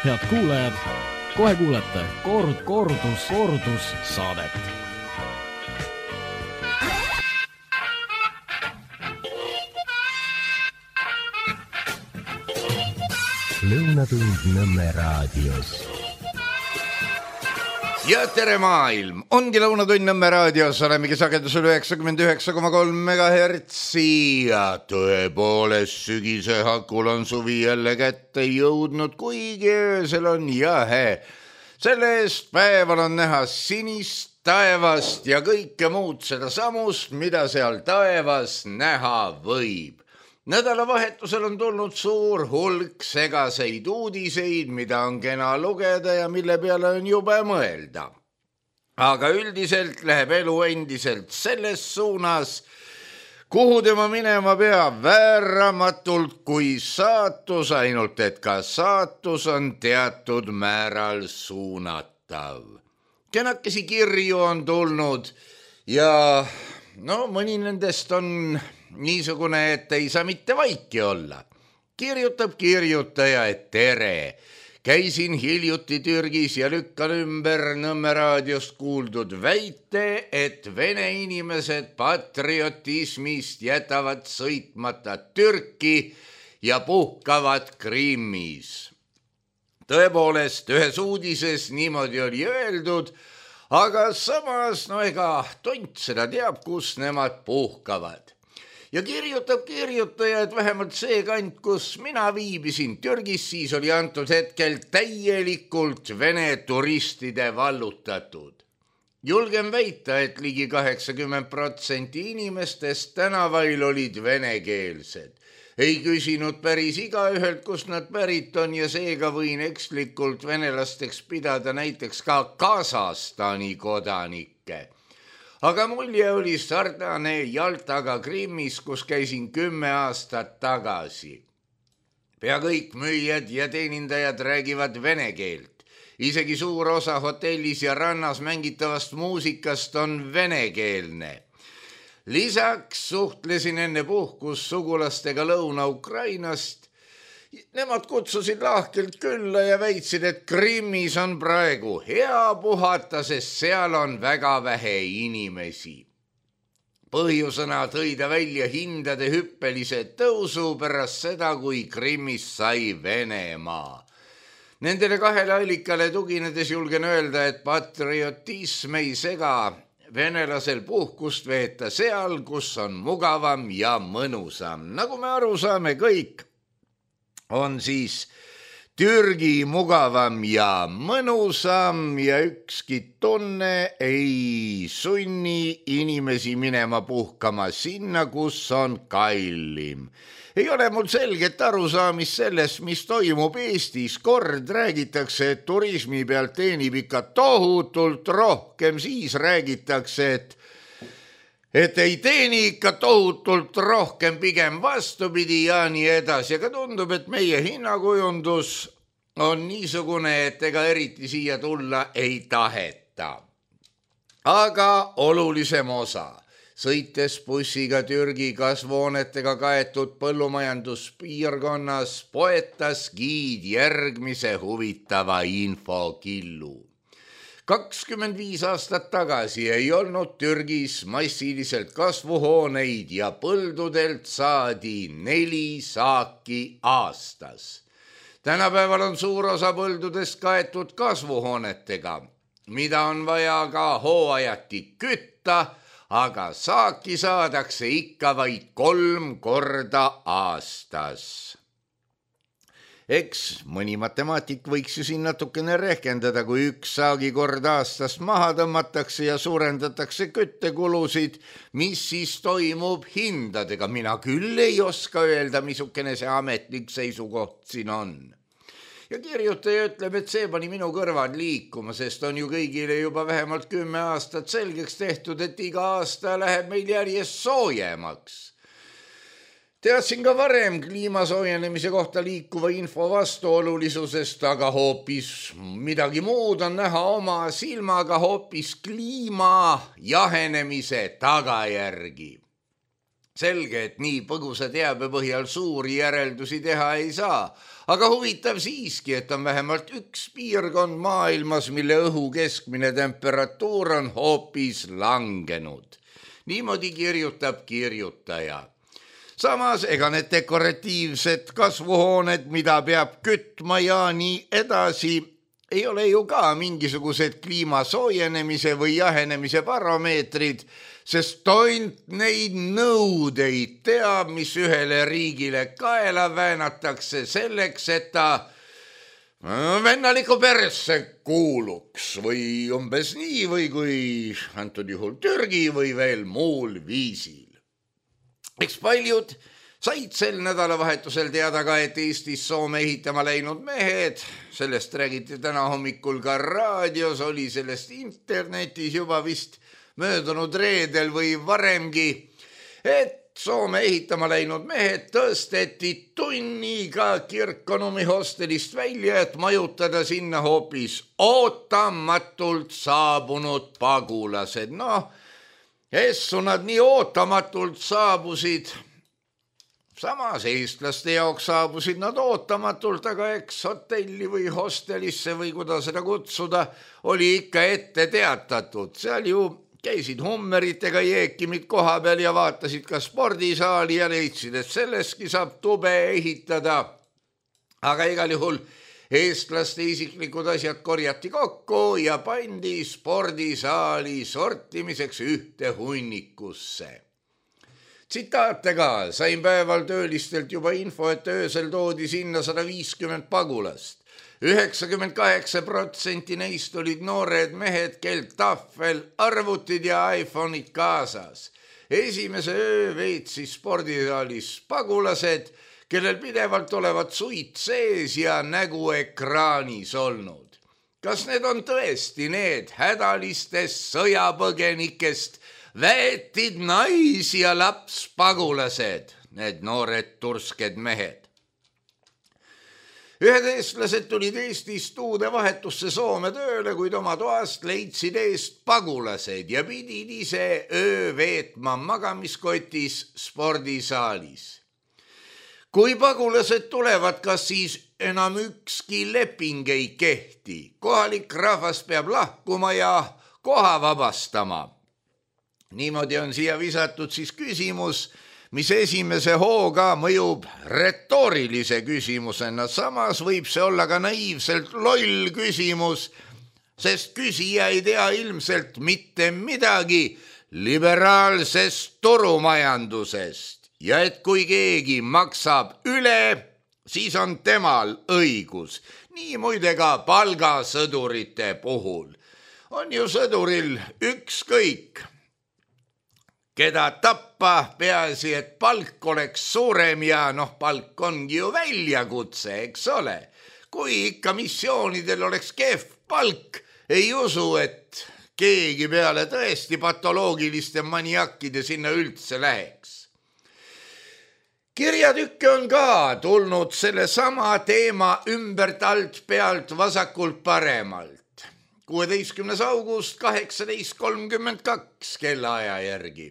Head kuulajad, kohe kuulete kordus saadet. Lõunatund Nõmme raadios. Ja tere maailm, ongi Lõunatund Nõmme raadios, olemegi sagedusel 99,3 MHz ja tõepoolest sügise hakul on suvi jälle kätte jõudnud, kuigi öösel on jahe. Selle eest päeval on näha sinist taevast ja kõike muud seda samust, mida seal taevas näha võib. Nädalavahetusel on tulnud suur hulk segaseid uudiseid, mida on kena lugeda ja mille peale on jube mõelda. Aga üldiselt läheb elu endiselt selles suunas, kuhu tema minema peab vääramatult kui saatus, ainult et ka saatus on teatud määral suunatav. Kenakesi kirju on tulnud ja mõni nendest on niisugune, et ei saa mitte vaiki olla. Kirjutab kirjutaja, et tere. Käisin hiljuti Türgis ja lükkan ümber Nõmme raadiost kuuldud väite, et vene inimesed patriotismist jätavad sõitmata Türki ja puhkavad Krimmis. Tõepoolest, ühes uudises niimoodi oli öeldud, aga samas, ega tont seda teab, kus nemad puhkavad. Ja kirjutab kirjutaja, et vähemalt see kant, kus mina viibisin Türgis, siis oli antud hetkel täielikult vene turistide vallutatud. Julgen väita, et ligi 80% inimestest tänavail olid venekeelsed. Ei küsinud päris igaühelt, kust nad pärit on ja seega võin ekslikult venelasteks pidada näiteks ka Kasahstani kodanikke. Aga mulje oli sarnane Jaltaga Krimmis, kus käisin 10 aastat tagasi. Pea kõik müüjad ja teenindajad räägivad vene keelt. Isegi suur osa hotellis ja rannas mängitavast muusikast on venekeelne. Lisaks suhtlesin enne puhkus sugulastega Lõuna-Ukrainast. Nemad kutsusid lahkelt külla ja väitsid, et Krimmis on praegu hea puhata, sest seal on väga vähe inimesi. Põhjusena tõi ta välja hindade hüppelise tõusu pärast seda, kui Krimmis sai Venemaa. Nendele kahele allikale tuginedes julgen öelda, et patriotism ei sega venelasel puhkust veeta seal, kus on mugavam ja mõnusam. Nagu me aru saame kõik, on siis Türgi mugavam ja mõnusam ja ükski tunne ei sunni inimesi minema puhkama sinna, kus on kallim. Ei ole mul selget arusaamist sellest, mis toimub Eestis. Kord räägitakse, et turismi pealt teenib ikka tohutult rohkem, siis räägitakse, et ei teeni ikka tohutult rohkem, pigem vastupidi ja nii edasi. Aga tundub, et meie hinnakujundus on niisugune, et ega eriti siia tulla ei taheta. Aga olulisem osa. Sõites bussiga Türgi kasvuhoonetega kaetud põllumajanduspiirkonnas poetas giid järgmise huvitava infokillu. 25 aastat tagasi ei olnud Türgis massiliselt kasvuhooneid ja põldudelt saadi 4 saaki aastas. Tänapäeval on suur osa põldudest kaetud kasvuhoonetega, mida on vaja ka hooajati kütta, aga saaki saadakse ikka vaid 3 korda aastas. Eks mõni matemaatik võiks ju siin natukene rehkendada, kui 1 saagikord aastas maha tõmmatakse ja suurendatakse küttekulusid, mis siis toimub hindadega. Mina küll ei oska öelda, missugune see ametlik seisukoht siin on. Ja kirjutaja ütleb, et see pani minu kõrvad liikuma, sest on ju kõigile juba vähemalt 10 aastat selgeks tehtud, et iga aasta läheb meil järjest soojemaks. Teadsin ka varem kliima soojenemise kohta liikuva info vastuolulisusest, aga hoopis midagi muud on näha oma silmaga, hoopis kliima jahenemise tagajärgi. Selge, et nii põgusa teabe põhjal suuri järeldusi teha ei saa, aga huvitav siiski, et on vähemalt üks piirkond maailmas, mille õhu keskmine temperatuur on hoopis langenud. Niimoodi kirjutab kirjutaja. Samas, ega need dekoratiivsed kasvuhooned, mida peab kütma ja nii edasi, ei ole ju ka mingisugused kliima soojenemise või jahenemise parameetrid, sest tont neid nõudeid teab, mis ühele riigile kaela väänatakse selleks, et ta vennaliku persse kuuluks või umbes nii või kui antud juhul Türgi või veel muul viisil. Eks paljud said sel nädalavahetusel teada ka, et Eestis Soome ehitama läinud mehed, sellest räägiti täna hommikul ka raadios, oli sellest internetis juba vist möödunud reedel või varemgi, et Soome ehitama läinud mehed tõsteti tunniga Kirkkonummi hostelist välja, et majutada sinna hoopis ootamatult saabunud pagulased. Essu nad nii ootamatult saabusid. Samas eestlaste jaoks saabusid nad ootamatult, aga eks hotelli või hostelisse või kuidas seda kutsuda, oli ikka ette teatatud. Seal ju käisid hummeritega jeekimid koha peal ja vaatasid ka spordisaali ja leidsid, et selleski saab tube ehitada. Aga igal juhul eestlaste isiklikud asjad korjati kokku ja pandi spordisaali sortimiseks ühte hunnikusse. Tsitaate ka, sain päeval töölistelt juba info, et öösel toodi sinna 150 pagulast. 98% neist olid noored mehed, kel tahvel, arvutid ja iPhone'id kaasas. Esimese öö veetsis spordisaalis pagulased, kellel pidevalt olevat suit sees ja nägu ekraanis olnud. Kas need on tõesti need hädalistest sõjapõgenikest väetid nais- ja lapspagulased, need noored tursked mehed? Ühed eestlased tulid Eestist uude vahetusse Soome tööle, kuid oma toast leidsid eest pagulased ja pidid ise öö veetma magamiskotis spordisaalis. Kui pagulased tulevad, kas siis enam ükski leping ei kehti? Kohalik rahvas peab lahkuma ja koha vabastama. Niimoodi on siia visatud siis küsimus, mis esimese hooga mõjub retoorilise küsimusena. Samas võib see olla ka naiivselt loll küsimus, sest küsija ei tea ilmselt mitte midagi liberaalsest turumajandusest ja et kui keegi maksab üle, siis on temal õigus. Nii muide ka palgasõdurite puhul. On ju sõduril ükskõik, keda tappa, peaasi, et palk oleks suurem ja palk ongi ju väljakutse, eks ole. Kui ikka missioonidel oleks kehv palk, ei usu, et keegi peale tõesti patoloogiliste maniakkide sinna üldse läheks. Kirjatükke on ka tulnud selle sama teema ümbert alt pealt vasakult paremalt. 16. august 18.32 kellaaja järgi.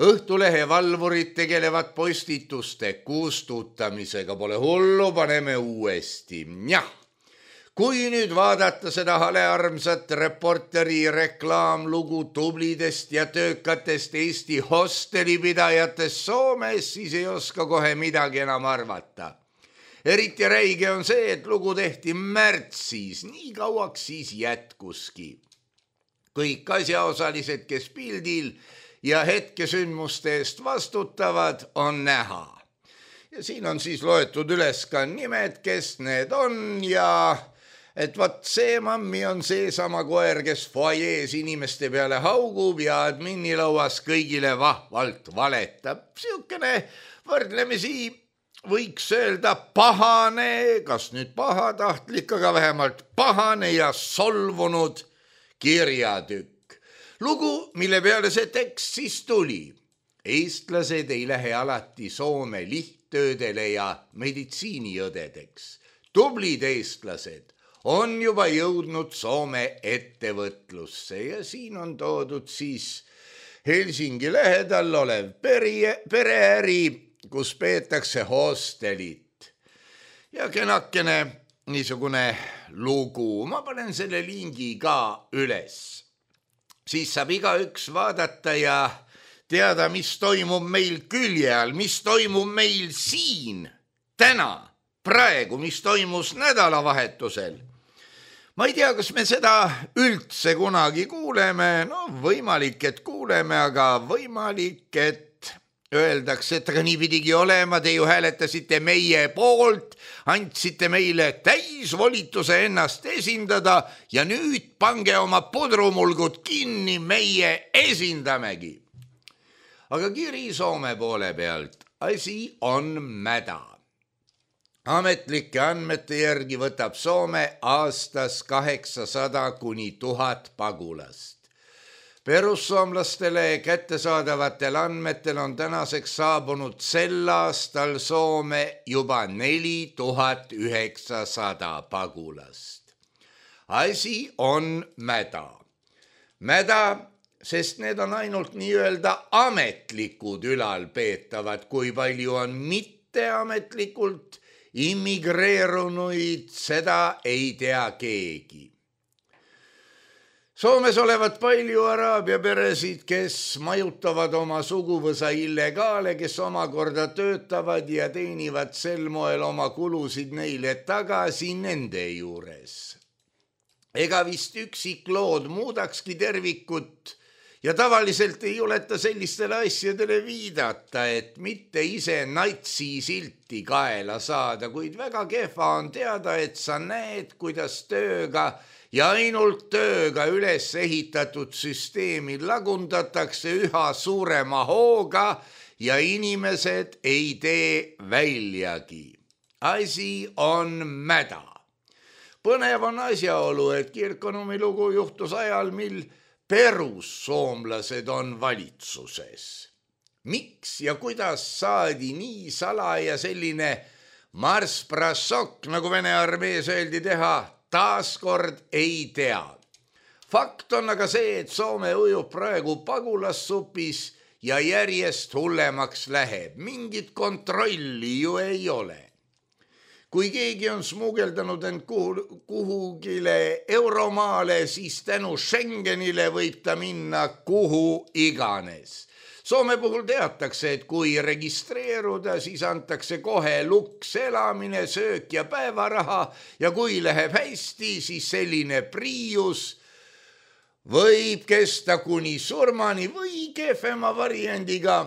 Õhtulehe valvurid tegelevad postituste kustutamisega, pole hullu, paneme uuesti. Jah, kui nüüd vaadata seda halearmsat Reporteri reklaamlugu tublidest ja töökatest Eesti hostelipidajatest Soomes, siis ei oska kohe midagi enam arvata. Eriti räige on see, et lugu tehti märtsis, nii kauaks siis jätkuski. Kõik asjaosalised, kes pildil ja hetkesündmuste eest vastutavad, on näha. Ja siin on siis loetud üles ka nimed, kes need on ja et vat see mammi on seesama koer, kes foajees inimeste peale haugub ja adminilauas kõigile vahvalt valetab. Siukene võrdlemisi võiks öelda pahane, kas nüüd pahatahtlik, aga vähemalt pahane ja solvunud kirjatükk. Lugu, mille peale see tekst siis tuli. Eestlased ei lähe alati Soome lihttöödele ja meditsiiniõdedeks. Tublid eestlased on juba jõudnud Soome ettevõtlusse ja siin on toodud siis Helsingi lähedal olev pereäri, kus peetakse hostelit. Ja kenakene niisugune lugu, ma panen selle lingi ka üles. Siis saab igaüks vaadata ja teada, mis toimub meil külje all, mis toimub meil siin, täna, praegu, mis toimus nädalavahetusel. Ma ei tea, kas me seda üldse kunagi kuuleme, no võimalik, et kuuleme, aga võimalik, et öeldakse, et aga nii pidigi olema, te ju hääletasite meie poolt, andsite meile täisvolituse ennast esindada ja nüüd pange oma pudrumulgud kinni, meie esindamegi. Aga kiri Soome poole pealt, asi on mäda. Ametlike andmete järgi võtab Soome aastas 800 kuni 1000 pagulast. Perussoomlastele kättesaadavatel andmetel on tänaseks saabunud sel aastal Soome juba 4900 pagulast. Asi on mäda. Mäda, sest need on ainult nii-öelda ametlikud ülalpeetavad, kui palju on mitteametlikult immigreerunuid, seda ei tea keegi. Soomes olevat palju araabia peresid, kes majutavad oma suguvõsa illegaale, kes omakorda töötavad ja teenivad sel moel oma kulusid neile tagasi nende juures. Ega vist üksik lood muudakski tervikut ja tavaliselt ei juleta sellistele asjadele viidata, et mitte ise natsi silti kaela saada, kuid väga kehva on teada, et sa näed, kuidas tööga ja ainult tööga üles ehitatud süsteemi lagundatakse üha suurema hooga ja inimesed ei tee väljagi. Asi on mäda. Põnev on asjaolu, et Kirkonumi lugu juhtus ajal, mil perussoomlased on valitsuses. Miks ja kuidas saadi nii salaja selline marsprassok, nagu Vene armees öeldi teha, taaskord ei tea. Fakt on aga see, et Soome ujub praegu pagulassupis ja järjest hullemaks läheb. Mingit kontrolli ju ei ole. Kui keegi on smugeldanud end kuhugile euromaale, siis tänu Schengenile võib ta minna kuhu iganes. Soome puhul teatakse, et kui registreeruda, siis antakse kohe luks elamine, söök ja päevaraha ja kui läheb hästi, siis selline Prius võib kesta kuni surmani või kehvema variandiga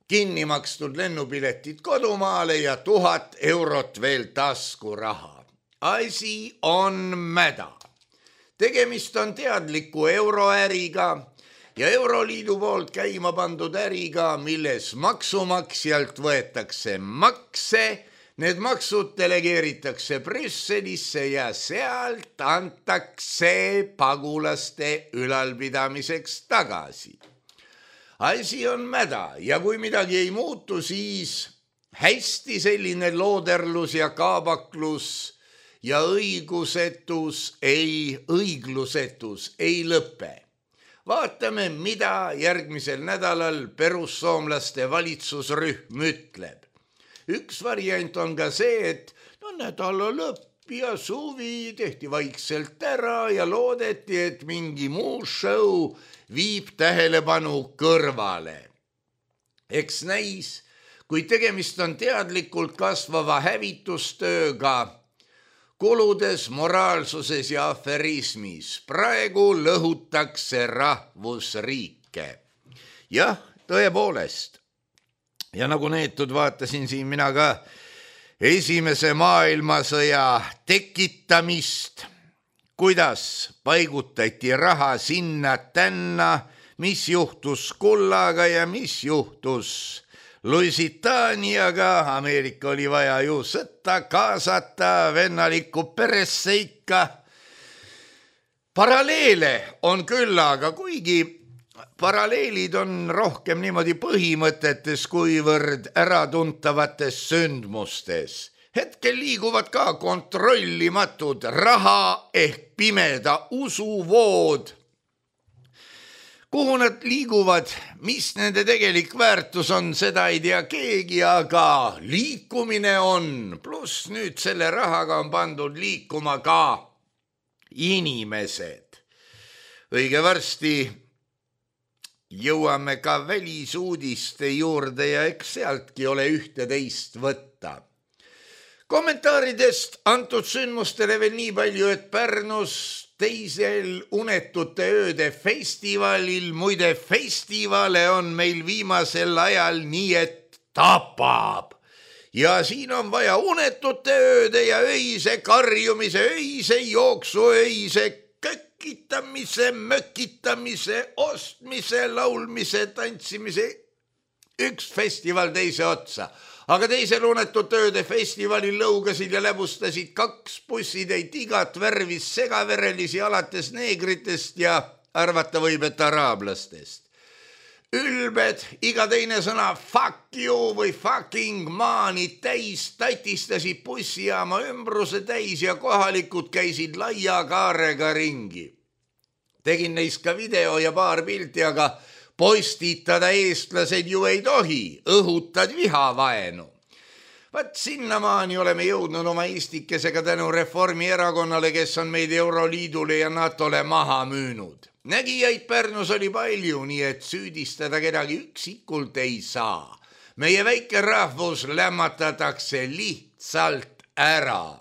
kinni makstud lennupiletid kodumaale ja 1000 eurot veel taskuraha. Asi on mäda. Tegemist on teadliku euroäriga ja Euroliidu poolt käima pandud äriga, milles maksumaksjalt võetakse makse, need maksud delegeeritakse Brüsselisse ja sealt antakse pagulaste ülalpidamiseks tagasi. Asi on mäda ja kui midagi ei muutu, siis hästi selline looderlus ja kaabaklus ja õiglusetus ei lõpe. Vaatame, mida järgmisel nädalal perussoomlaste valitsusrühm ütleb. Üks variant on ka see, et nädala lõpp ja suvi tehti vaikselt ära ja loodeti, et mingi muu show viib tähelepanu kõrvale. Eks näis, kui tegemist on teadlikult kasvava hävitustööga, kuludes, moraalsuses ja aferismis. Praegu lõhutakse rahvusriike. Jah, tõepoolest. Ja nagu neetud vaatasin siin mina ka Esimese maailmasõja tekitamist, kuidas paigutati raha sinna tänna, mis juhtus kullaga ja mis juhtus Lusitaaniaga. Ameerika oli vaja ju sõtta kaasata vennalikku peresse ikka. Paralleele on küll, aga kuigi paralleelid on rohkem niimoodi põhimõtetes kuivõrd äratuntavates sündmustes. Hetkel liiguvad ka kontrollimatud raha ehk pimeda usuvood. Kuhu nad liiguvad, mis nende tegelik väärtus on, seda ei tea keegi, aga liikumine on. Pluss nüüd selle rahaga on pandud liikuma ka inimesed. Õige varsti jõuame ka välisuudiste juurde ja eks sealtki ole ühte teist võtta. Kommentaaridest antud sündmustele veel nii palju, et Pärnus teisel Unetute ööde festivalil, muide festivale on meil viimasel ajal nii, et tapab. Ja siin on vaja unetute ööde ja öise karjumise, öise jooksu, öise kökkitamise, mökitamise, ostmise, laulmise, tantsimise, üks festival teise otsa. Aga teisel Unetute ööde festivalil lõugasid ja läbustasid 2 bussitäit igat värvis segaverelisi alates neegritest ja arvata võib, et araablastest. Ülbed, iga teine sõna fuck you või fucking maanid täis tatistasid bussijaama ümbruse täis ja kohalikud käisid laia kaarega ringi. Tegin neist ka video ja paar pilti, aga postitada eestlased ju ei tohi, õhutad vihavaenu. Vaat sinnamaani oleme jõudnud oma eestikesega tänu Reformierakonnale, kes on meid Euroliidule ja NATOle maha müünud. Nägijaid Pärnus oli palju, nii et süüdistada kedagi üksikult ei saa. Meie väike rahvus lämmatatakse lihtsalt ära.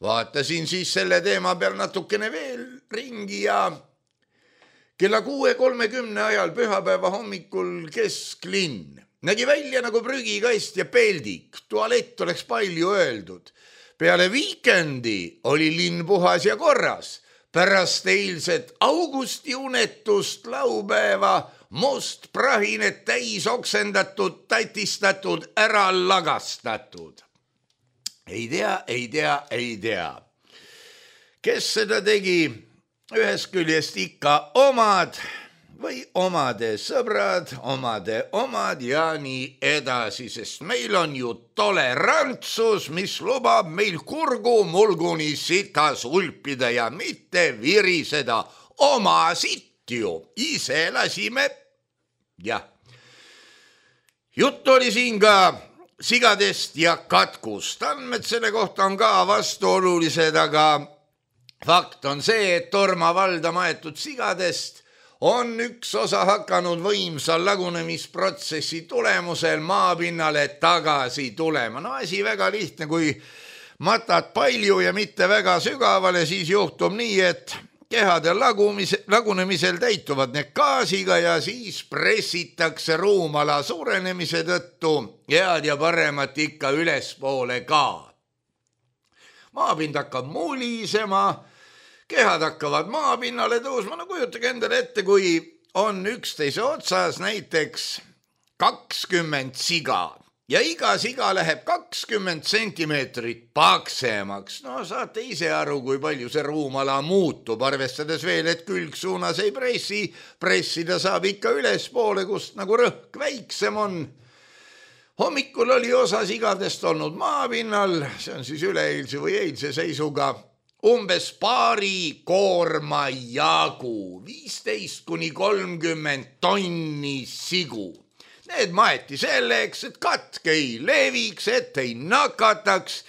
Vaatasin siis selle teema peal natukene veel ringi ja kella 6:30 ajal pühapäeva hommikul kesklinn. Nägi välja nagu prügikast ja peldik, tualett oleks palju öeldud. Peale viikendi oli linn puhas ja korras. Pärast eilset augusti unetust laupäeva must prahinet täis oksendatud, tatistatud, ära lagastatud. Ei tea. Kes seda tegi? Ühest küljest ikka omad või omade sõbrad, omad ja nii edasi, sest meil on ju tolerantsus, mis lubab meil kurgu mulguni sitas ulpida ja mitte viriseda. Oma sitt ju, ise lasime. Jah. Jutt oli siin ka sigadest ja katkust. Andmed selle kohta on ka vastuolulised, aga fakt on see, et Torma valda maetud sigadest on üks osa hakanud võimsal lagunemisprotsessi tulemusel maapinnale tagasi tulema. No asi väga lihtne, kui matad palju ja mitte väga sügavale, siis juhtub nii, et kehade lagunemisel täituvad need gaasiga ja siis pressitakse ruumala suurenemise tõttu head ja paremat ikka ülespoole ka. Maapind hakkab mulisema, kehad hakkavad maapinnale tõusma, no kujutage endale ette, kui on üksteise otsas näiteks 20 siga ja iga siga läheb 20 sentimeetrit paksemaks. No saate ise aru, kui palju see ruumala muutub, arvestades veel, et külgsuunas ei pressida saab ikka ülespoole, kust nagu rõhk väiksem on. Hommikul oli osa sigadest olnud maapinnal, see on siis üleeilse või eilse seisuga, umbes paari koorma jagu, 15–30 tonni sigu. Need maeti selleks, et katk ei leviks, et ei nakataks.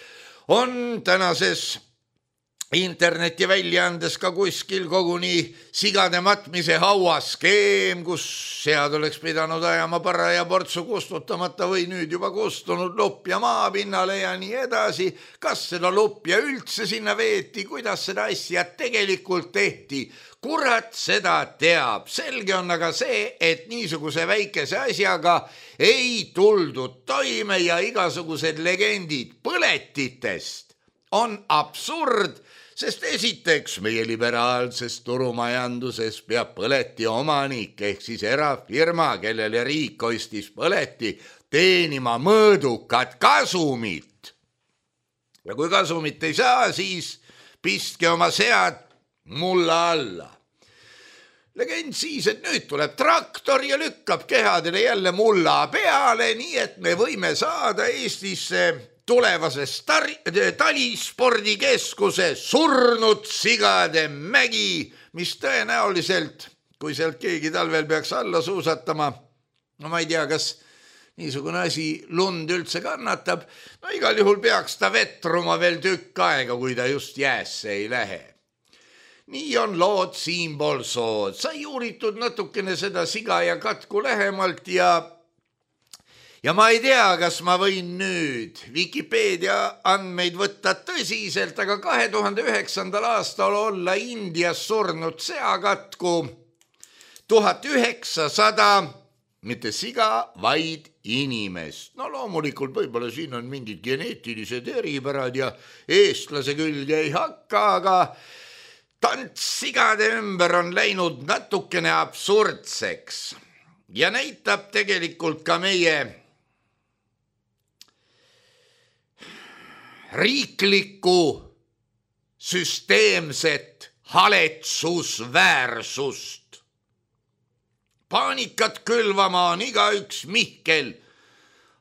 On tänases interneti väljaandes ka kuskil koguni sigade matmise hauaskeem, kus sead oleks pidanud ajama paraja portsu kustutamata või nüüd juba kustunud lupja maapinnale ja nii edasi. Kas seda lupja üldse sinna veeti, kuidas seda asja tegelikult tehti? Kurat seda teab. Selge on aga see, et niisuguse väikese asjaga ei tuldud toime ja igasugused legendid põletitest on absurd, sest esiteks meie liberaalses turumajanduses peab põleti omanik ehk siis erafirma, kellele riik ostis põleti, teenima mõõdukat kasumit. Ja kui kasumit ei saa, siis pistke oma sead mulla alla. Legend siis, et nüüd tuleb traktor ja lükkab kehadele jälle mulla peale, nii et me võime saada Eestisse tulevasest talispordikeskuse surnud sigade mägi, mis tõenäoliselt kui sealt keegi talvel peaks alla suusatama, no ma ei tea, kas niisugune asi lund üldse kannatab, no igal juhul peaks ta vetruma veel tükk aega, kui ta just jäässe ei lähe. Nii on lood siinpool sood, sai uuritud natukene seda siga ja katku lähemalt ja ma ei tea, kas ma võin nüüd Wikipeedia andmeid võtta tõsiselt, aga 2009. aastal olla Indias surnud seakatku 1900, mitte siga, vaid inimest. No loomulikult võib-olla siin on mingid geneetilised eripärad ja eestlase külge ei hakka, aga tants sigade ümber on läinud natukene absurdseks ja näitab tegelikult ka meie riiklikku süsteemset haletsusväärsust. Paanikat külvama on igaüks Mihkel,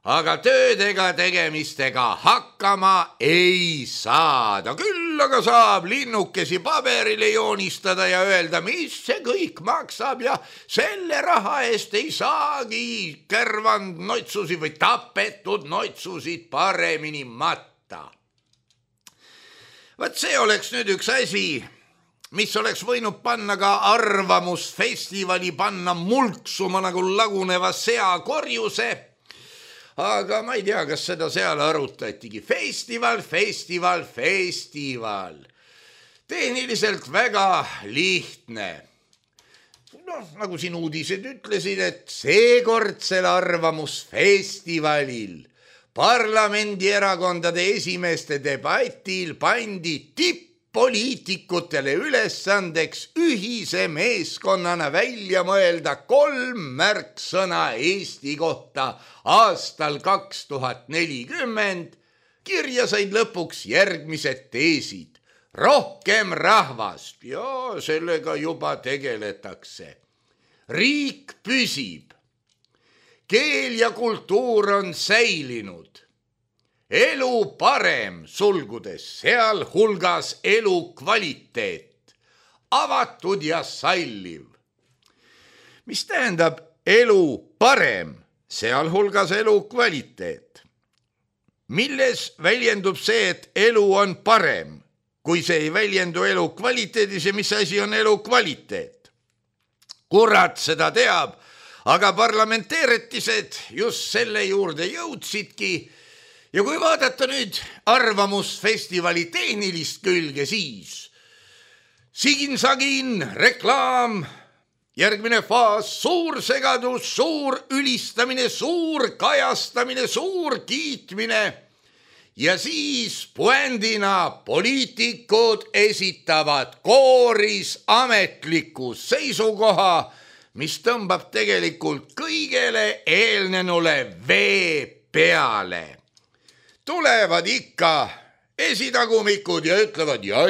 aga töödega tegemistega hakkama ei saada. Küll aga saab linnukesi paberile joonistada ja öelda, mis see kõik maksab ja selle raha eest ei saagi kärvand noitsusid või tapetud noitsusid paremini matta. Vaat see oleks nüüd üks asi, mis oleks võinud panna ka arvamusfestivali panna mulksuma nagu laguneva seakorjuse, aga ma ei tea, kas seda seal arutatigi. Festival. Tehniliselt väga lihtne. No, nagu siin uudised ütlesid, et seekordsel arvamusfestivalil parlamendierakondade esimeeste debatil pandi tipp-poliitikutele ülesandeks ühise meeskonnana välja mõelda 3 märksõna Eesti kohta aastal 2040. Kirja said lõpuks järgmised teesid. Rohkem rahvast, ja sellega juba tegeletakse. Riik püsib. Keel ja kultuur on säilinud. Elu parem, sulgudes, seal hulgas elu kvaliteet. Avatud ja salliv. Mis tähendab elu parem, seal hulgas elu kvaliteet? Milles väljendub see, et elu on parem, kui see ei väljendu elu kvaliteedis ja mis asi on elu kvaliteet? Kurat seda teab, aga parlamenteeretised just selle juurde jõudsidki ja kui vaadata nüüd arvamusfestivali tehnilist külge, siis sigin-sagin, reklaam, järgmine faas, suur segadus, suur ülistamine, suur kajastamine, suur kiitmine ja siis puändina poliitikud esitavad kooris ametliku seisukoha, mis tõmbab tegelikult kõigele eelnenule vee peale. Tulevad ikka esitagumikud ja ütlevad ja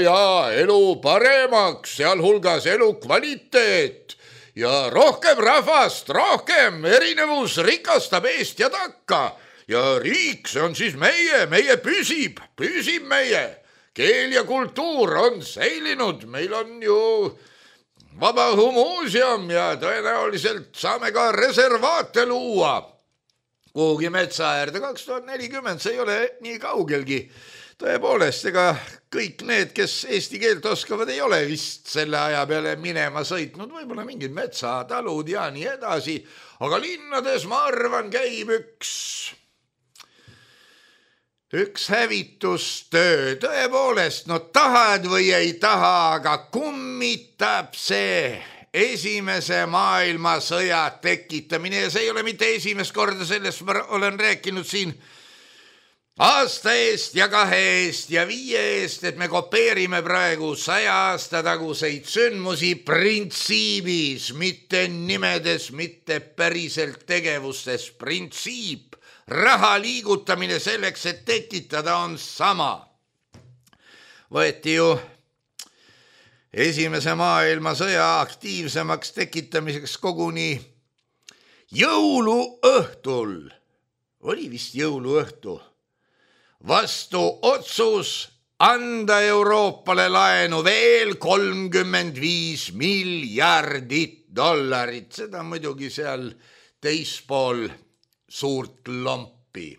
elu paremaks, sealhulgas elu kvaliteet ja rohkem rahvast, rohkem erinevus rikastab eest ja takka ja riik, see on siis meie püsib meie. Keel ja kultuur on säilinud, meil on ju Vabaõhumuuseum ja tõenäoliselt saame ka reservaate luua kuhugi metsaäärde 2040, see ei ole nii kaugelgi. Tõepoolest, ega kõik need, kes eesti keelt oskavad, ei ole vist selle aja peale minema sõitnud, võib-olla mingid metsatalud ja nii edasi, aga linnades, ma arvan, käib üks hävitustöö, tõepoolest, no tahad või ei taha, aga kummitab see esimese maailmasõja tekitamine ja see ei ole mitte esimest korda, sellest ma olen rääkinud siin aasta eest ja 2 eest ja 5 eest, et me kopeerime praegu 100 aasta taguseid sündmusi printsiibis, mitte nimedes, mitte päriselt tegevustes, printsiip. Raha liigutamine selleks, et tekitada on sama. Võeti ju esimese maailmasõja aktiivsemaks tekitamiseks koguni jõuluõhtul, oli vist jõuluõhtu, vastu otsus anda Euroopale laenu veel 35 miljardit dollarit. Seda muidugi seal teispool suurt lompi.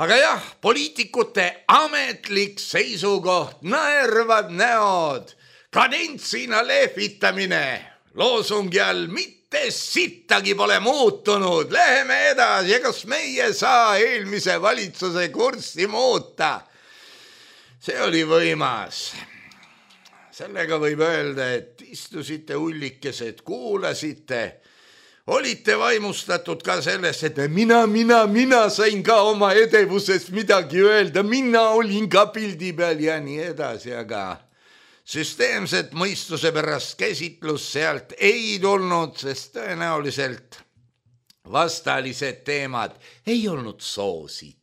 Aga jah, poliitikute ametlik seisukoht, naervad näod, kadentsina lehvitamine, loosungi all mitte sittagi pole muutunud, läheme edasi ja kas meie saa eelmise valitsuse kurssi muuta? See oli võimas. Sellega võib öelda, et istusite ullikesed, kuulasite, olite vaimustatud ka sellest, et mina sain ka oma edevusest midagi öelda, mina olin ka pildi peal ja nii edasi, aga süsteemset mõistuse pärast käsitlus sealt ei tulnud, sest tõenäoliselt vastalised teemad ei olnud soositud.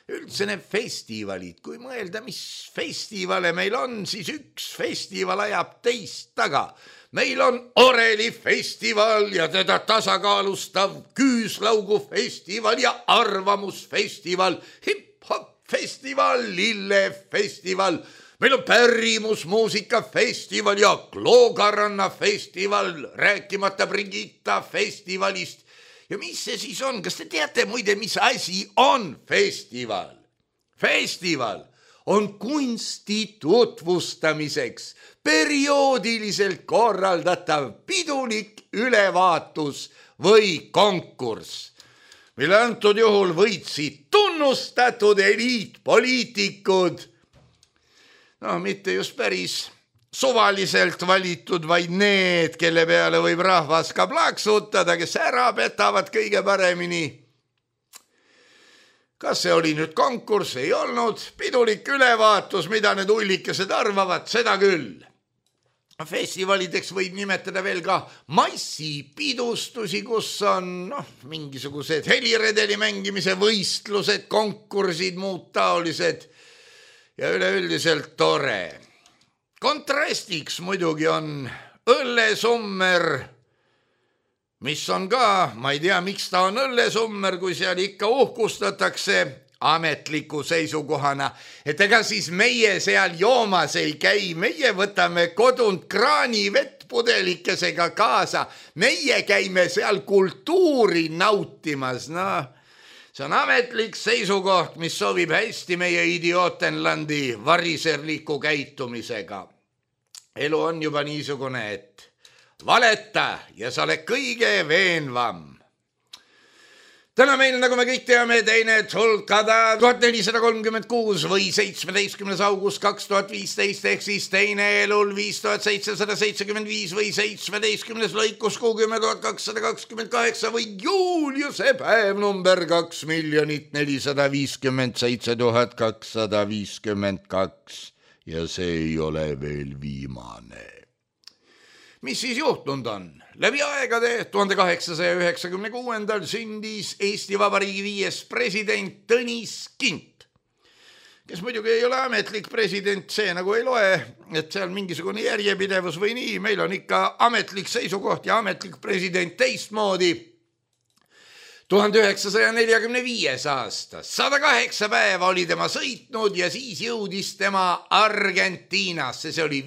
Üldse need festivalid, kui mõelda, mis festivale meil on, siis üks festival ajab teist taga. Meil on Oreli festival ja teda tasakaalustav Küüslaugu festival ja Arvamusfestival, hip-hop festival, lillefestival. Meil on pärimusmuusikafestival ja Kloogaranna festival, rääkimata Brigitta festivalist. Ja mis see siis on? Kas te teate muide, mis asi on festival? Festival on kunsti tutvustamiseks perioodiliselt korraldatav pidulik ülevaatus või konkurss, mille antud juhul võitsid tunnustatud eliitpoliitikud. No mitte just päris suvaliselt valitud, vaid need, kelle peale võib rahvas ka plaksutada, kes ära petavad kõige paremini. Kas see oli nüüd konkurss? Ei olnud. Pidulik ülevaatus, mida need ullikesed arvavad, seda küll. Festivalideks võib nimetada veel ka massipidustusi, kus on mingisugused heliredeli mängimise võistlused, konkursid, muud taolised ja üleüldiselt tore. Kontrastiks muidugi on õllesummer, mis on ka, ma ei tea, miks ta on õllesummer, kui seal ikka uhkustatakse ametliku seisukohana, et ega siis meie seal joomas ei käi, meie võtame kodunt kraani vettpudelikesega kaasa, meie käime seal kultuuri nautimas, see on ametlik seisukoht, mis sobib hästi meie idiootenlandi variserliku käitumisega. Elu on juba niisugune, et valeta ja sa oled kõige veenvam. Täna meil, nagu me kõik teame, teine tulkada 1436 või 17. august 2015 ehk siis teine elul 5775 või 17. lõikus 60228 või Juliuse päev number 2 457 252 ja see ei ole veel viimane. Mis siis juhtunud on? Läbi aegade 1896. sündis Eesti Vabariigi 5. president Tõnis Kint, kes muidugi ei ole ametlik president, see nagu ei loe, et seal mingisugune järjepidevus või nii, meil on ikka ametlik seisukoht ja ametlik president teistmoodi. 1945. aasta, 108 päeva oli tema sõitnud ja siis jõudis tema Argentiinasse, see oli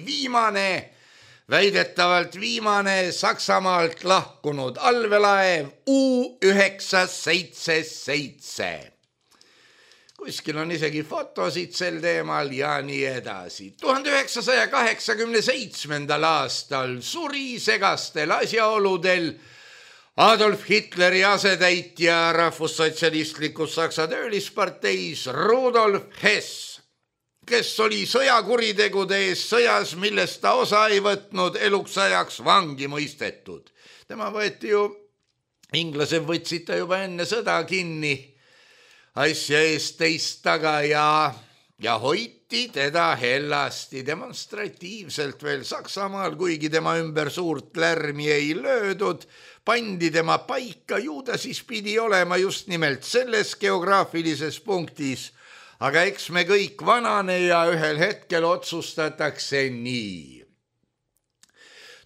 väidetavalt viimane Saksamaalt lahkunud allveelaev U977. Kuskil on isegi fotosid sel teemal ja nii edasi. 1987. aastal suri segastel asjaoludel Adolf Hitleri asetäitja rahvussotsialistlikus Saksa töölisparteis Rudolf Hess, kes oli sõjakuritegude ees sõjas, millest ta osa ei võtnud, eluks ajaks vangi mõistetud. Tema võeti ju, inglased võtsid ta juba enne sõda kinni asja eest teist taga ja hoiti teda hellasti demonstratiivselt veel Saksamaal, kuigi tema ümber suurt lärmi ei löödud, pandi tema paika, ju ta siis pidi olema just nimelt selles geograafilises punktis. Aga eks me kõik vanane ja ühel hetkel otsustatakse nii.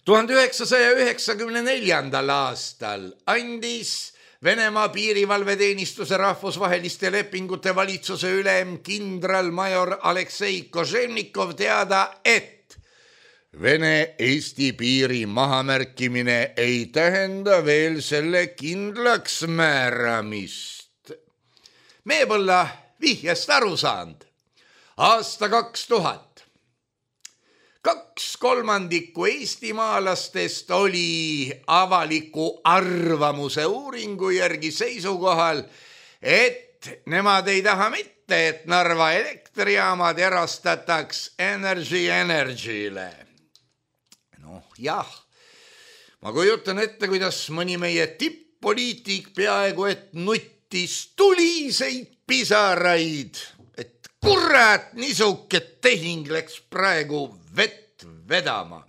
1994. aastal andis Venemaa piirivalveteenistuse rahvusvaheliste lepingute valitsuse ülem kindralmajor Aleksei Koževnikov teada, et Vene-Eesti piiri mahamärkimine ei tähenda veel selle kindlaks määramist. Me pole vihjast aru saanud. Aasta 2000. 2/3 eestimaalastest oli avaliku arvamuse uuringu järgi seisukohal, et nemad ei taha mitte, et Narva elektrijaamad erastataks Energy-le. Jah, ma kujutan ette, kuidas mõni meie tipp-poliitik peaaegu et nuttis tuliseid pisaraid, et kurat, nisuke tehing läks praegu vett vedama.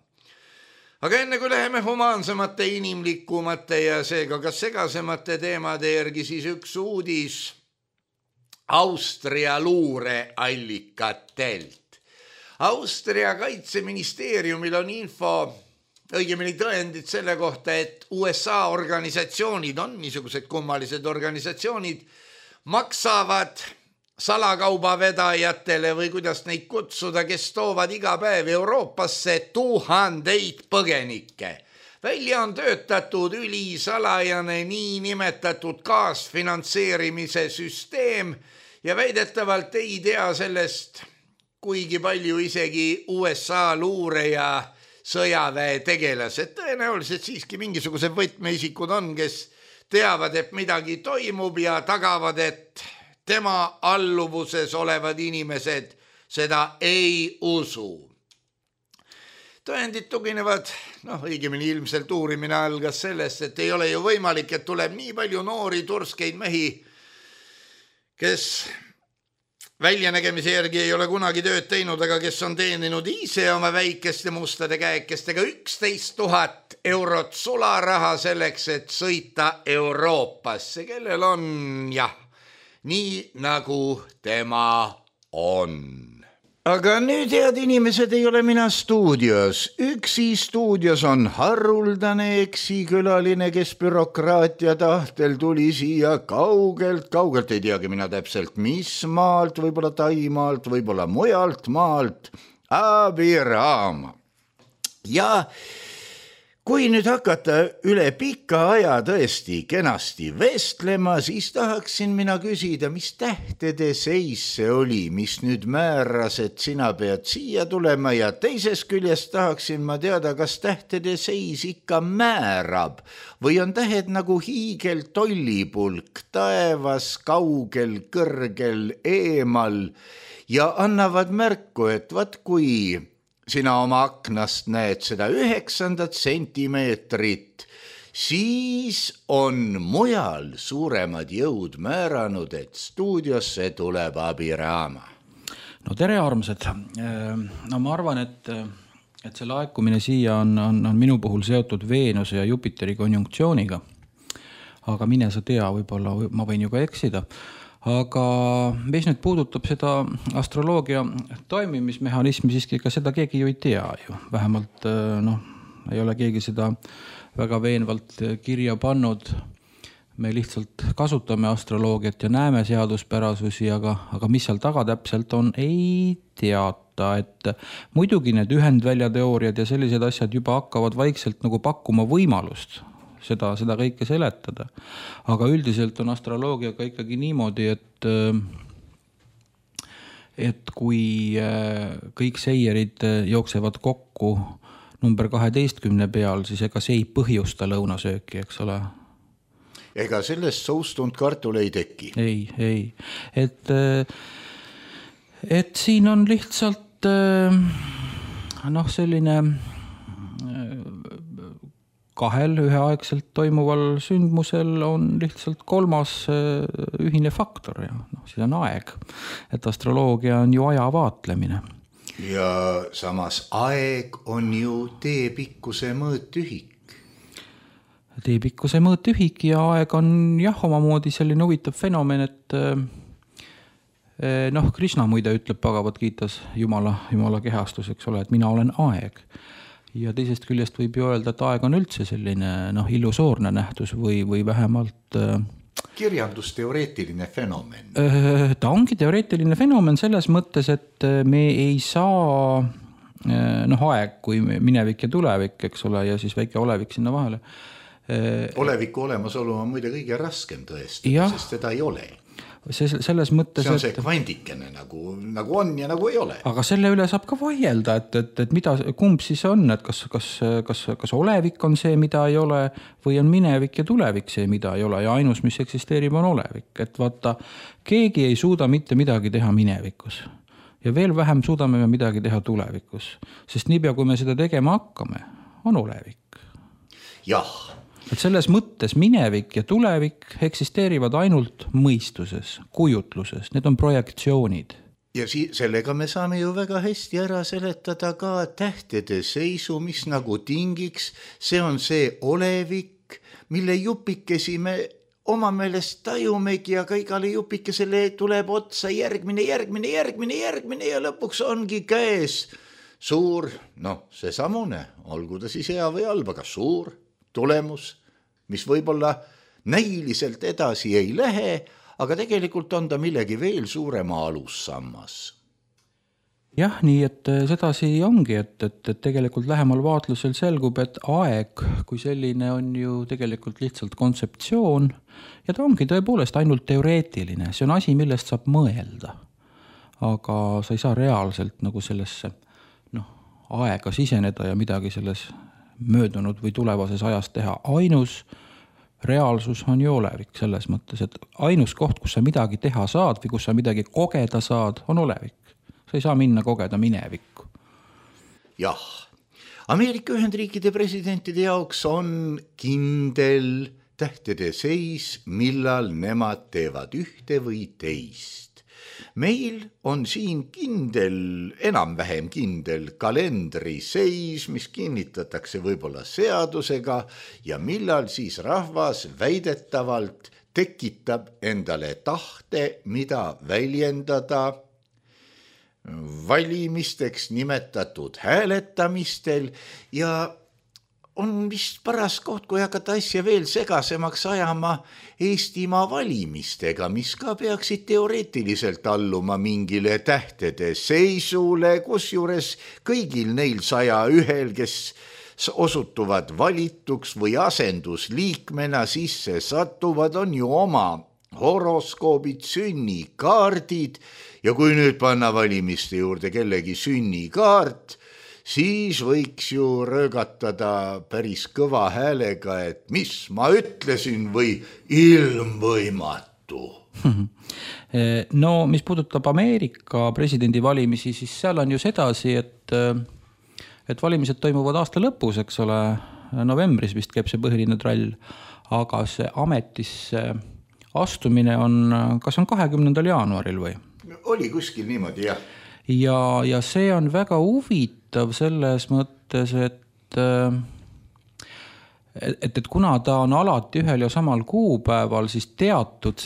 Aga enne kui läheme humaansemate, inimlikumate ja seega ka segasemate teemade järgi, siis üks uudis Austria luureallikatelt. Austria kaitseministeeriumil on info, õigemini tõendid selle kohta, et USA organisatsioonid on niisugused kummalised organisatsioonid, maksavad salakaubavedajatele või kuidas neid kutsuda, kes toovad iga päev Euroopasse 1000 põgenikke. Välja on töötatud ülisalajane niinimetatud kaasfinantseerimise süsteem ja väidetavalt ei tea sellest kuigi palju isegi USA luure ja sõjaväe tegelased. Tõenäoliselt siiski mingisugused võtmeisikud on, kes teavad, et midagi toimub ja tagavad, et tema alluvuses olevad inimesed seda ei usu. Tõendid tuginevad, õigemini ilmselt uurimine algas sellest, et ei ole ju võimalik, et tuleb nii palju noori turskeid mehi, kes väljanägemise järgi ei ole kunagi tööd teinud, aga kes on teeninud ise oma väikeste mustade käekestega 11 000 eurot sularaha selleks, et sõita Euroopasse, kellel on nii nagu tema on. Aga nüüd, head inimesed, ei ole mina stuudios. Üksi stuudios on haruldane eksikülaline, kes bürokraatia tahtel tuli siia kaugelt, ei teagi mina täpselt mis maalt, võib-olla Taimaalt, võib-olla mujalt maalt, Abiraama. Ja kui nüüd hakata üle pika aja tõesti kenasti vestlema, siis tahaksin mina küsida, mis tähtede seis see oli, mis nüüd määras, et sina pead siia tulema, ja teises küljest tahaksin ma teada, kas tähtede seis ikka määrab või on tähed nagu hiigel tollipulk taevas, kaugel, kõrgel, eemal ja annavad märku, et vaat kui sina oma aknast näed seda 9 sentimeetrit, siis on mujal suuremad jõud määranud, et stuudiosse tuleb Abiraama. No tere, armsad. Ma arvan, et see laekumine siia on minu puhul seotud Veenuse ja Jupiteri konjunktsiooniga. Aga mine sa tea, võib-olla ma võin ju ka eksida. Aga mis nüüd puudutab seda astroloogia toimimismehhanismi, siiski ka seda keegi ju ei tea ju. Vähemalt ei ole keegi seda väga veenvalt kirja pannud. Me lihtsalt kasutame astroloogiat ja näeme seaduspärasusi, aga mis seal taga täpselt on, ei teata. Et muidugi need ühendväljateooriad ja sellised asjad juba hakkavad vaikselt nagu pakkuma võimalust seda kõike seletada. Aga üldiselt on astroloogiaga ikkagi niimoodi, et kui kõik seierid jooksevad kokku number 12 peal, siis ega see ei põhjusta lõunasööki, eks ole? Ega sellest soustunud kartul ei teki? Ei. Et siin on lihtsalt selline kahel üheaegselt toimuval sündmusel on lihtsalt kolmas ühine faktor ja siis on aeg. Et astroloogia on ju aja vaatlemine. Ja samas aeg on ju teepikkuse mõõtühik. Teepikkuse mõõtühik ja aeg on omamoodi selline huvitav fenomen, et Krishna muide ütleb Bhagavad Gitas Jumala kehastus, eks ole, et mina olen aeg. ja teisest küljest võib ju öelda, et aeg on üldse selline illusoorne nähtus või vähemalt kirjandusteoreetiline fenomen. Ta ongi teoreetiline fenomen selles mõttes, et me ei saa aeg kui minevik ja tulevik, eks ole, ja siis väike olevik sinna vahele. Oleviku olemasolu on muide kõige raskem tõestada, sest seda ei ole. Selles mõttes, see on see kvandikene nagu on ja nagu ei ole. Aga selle üle saab ka vaielda, et mida, kumb siis on, et kas olevik on see, mida ei ole, või on minevik ja tulevik see, mida ei ole, ja ainus, mis eksisteerib, on olevik. Et vaata, keegi ei suuda mitte midagi teha minevikus ja veel vähem suudame me midagi teha tulevikus, sest niipea, kui me seda tegema hakkame, on olevik. Jah. Et selles mõttes minevik ja tulevik eksisteerivad ainult mõistuses, kujutluses, need on projektsioonid. Ja sellega me saame ju väga hästi ära seletada ka tähtede seisu, mis nagu tingiks, see on see olevik, mille jupikesi me oma meelest tajumegi, aga igale jupikesele tuleb otsa järgmine ja lõpuks ongi käes suur, see samune, olgu ta siis hea või halb, aga suur tulemus, mis võib-olla näiliselt edasi ei lähe, aga tegelikult on ta millegi veel suurema alussammas. Jah, nii et sedasi ongi, et tegelikult lähemal vaatlusel selgub, et aeg kui selline on ju tegelikult lihtsalt kontseptsioon ja ta ongi tõepoolest ainult teoreetiline, see on asi, millest saab mõelda. Aga sa ei saa reaalselt nagu sellesse aega siseneda ja midagi selles möödunud või tulevases ajas teha. Ainus reaalsus on ju olevik selles mõttes, et ainus koht, kus sa midagi teha saad või kus sa midagi kogeda saad, on olevik. Sa ei saa minna kogeda minevikku. Jah, Ameerika Ühendriikide presidentide jaoks on kindel tähtede seis, millal nemad teevad ühte või teist. Meil on siin kindel, enam-vähem kindel kalendri seis, mis kinnitatakse võib-olla seadusega ja millal siis rahvas väidetavalt tekitab endale tahte, mida väljendada valimisteks nimetatud hääletamistel ja on vist paras koht, kui hakata asja veel segasemaks ajama Eestimaa valimistega, mis ka peaksid teoreetiliselt alluma mingile tähtede seisule, kusjuures kõigil neil 101, kes osutuvad valituks või asendusliikmena sisse satuvad, on ju oma horoskoobid, sünnikaardid ja kui nüüd panna valimiste juurde kellegi sünnikaart, siis võiks ju röögatada päris kõva häälega, et mis ma ütlesin või ilmvõimatu. No, mis puudutab Ameerika presidendi valimisi, siis seal on ju sedasi, et valimised toimuvad aasta lõpus, eks ole, novembris vist käib see põhiline trall, aga see ametisse astumine on, kas on 20. jaanuaril või? Oli kuskil niimoodi, jah. Ja see on väga huvitav selles mõttes, et kuna ta on alati ühel ja samal kuupäeval, siis teatud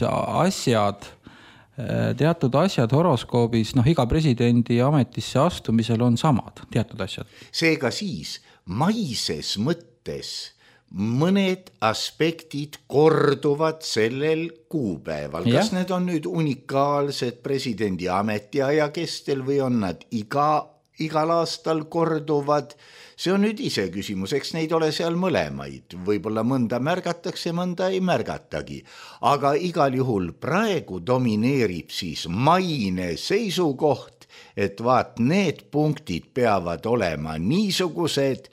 asjad horoskoobis, iga presidendi ametisse astumisel on samad, teatud asjad. Seega siis maises mõttes mõned aspektid korduvad sellel kuupäeval. Kas need on nüüd unikaalsed presidendi ametiaja kestel või on nad igal aastal korduvad? See on nüüd ise küsimus, eks neid ole seal mõlemaid. Võib-olla mõnda märgatakse, mõnda ei märgatagi. Aga igal juhul praegu domineerib siis maine seisukoht, et vaat need punktid peavad olema niisugused,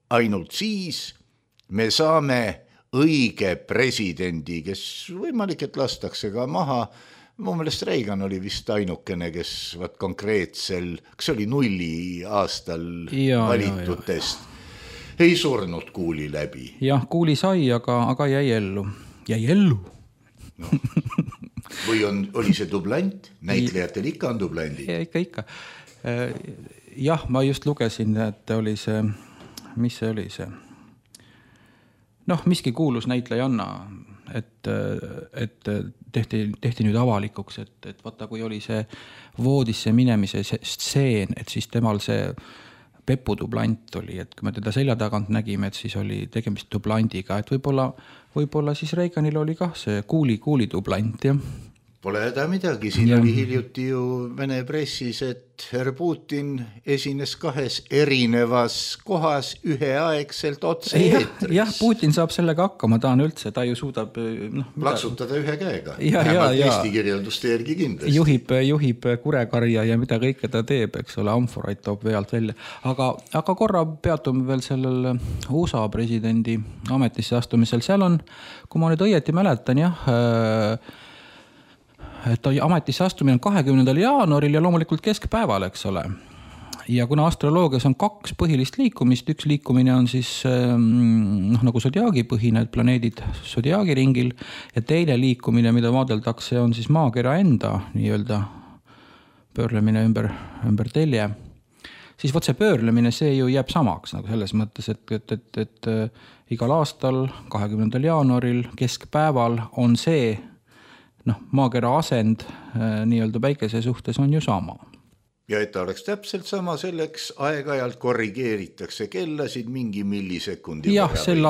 ainult siis me saame õige presidendi, kes võimalik, et lastakse ka maha. Mu meelest Reagan oli vist ainukene, kes konkreetsel, kas oli 0 aastal valitutest, ei surnud kuuli läbi. Jah, kuuli sai, aga jäi ellu. Jäi ellu. No. Või oli see dublant? Näitlejatel ikka on dublandi. Ikka. Jah, ma just lugesin, et oli see, mis see oli see? Miski kuulus näitlejanna, et tehti nüüd avalikuks, et vaata, kui oli see voodisse minemise stseen, et siis temal see Pepu dublant oli, et kui me teda selja tagant nägime, et siis oli tegemist dublandiga, et võib-olla siis Reaganil oli kah see kuuli dublant, jah. Pole häda midagi, siin oli hiljuti ju Vene pressis, et herr Putin esines 2 erinevas kohas üheaegselt otse eetris. Jah, Putin saab sellega hakkama, ta on üldse, ta ju suudab plaksutada ühe käega, vähemalt Eesti kirjelduste järgi kindlasti. Juhib kurekarja ja mida kõike ta teeb, eks ole, amforaid toob vealt välja. Aga korra peatume veel sellel USA presidendi ametisse astumisel, seal on, kui ma nüüd õieti mäletan, jah, et ametisse astumine on 20. jaanuaril ja loomulikult keskpäeval, eks ole. Ja kuna astroloogias on 2 põhilist liikumist, üks liikumine on siis nagu sodiaagi põhine, planeedid sodiaagi ringil ja teine liikumine, mida vaadeldakse, on siis maakera enda nii-öelda pöörlemine ümber telje. Siis võt see pöörlemine, see ju jääb samaks nagu selles mõttes, et igal aastal 20. jaanuaril keskpäeval on see maakera asend nii-öelda päikese suhtes on ju sama. Ja et ta oleks täpselt sama, selleks aeg-ajalt korrigeeritakse kellasid mingi millisekundi võrra. Jah, sel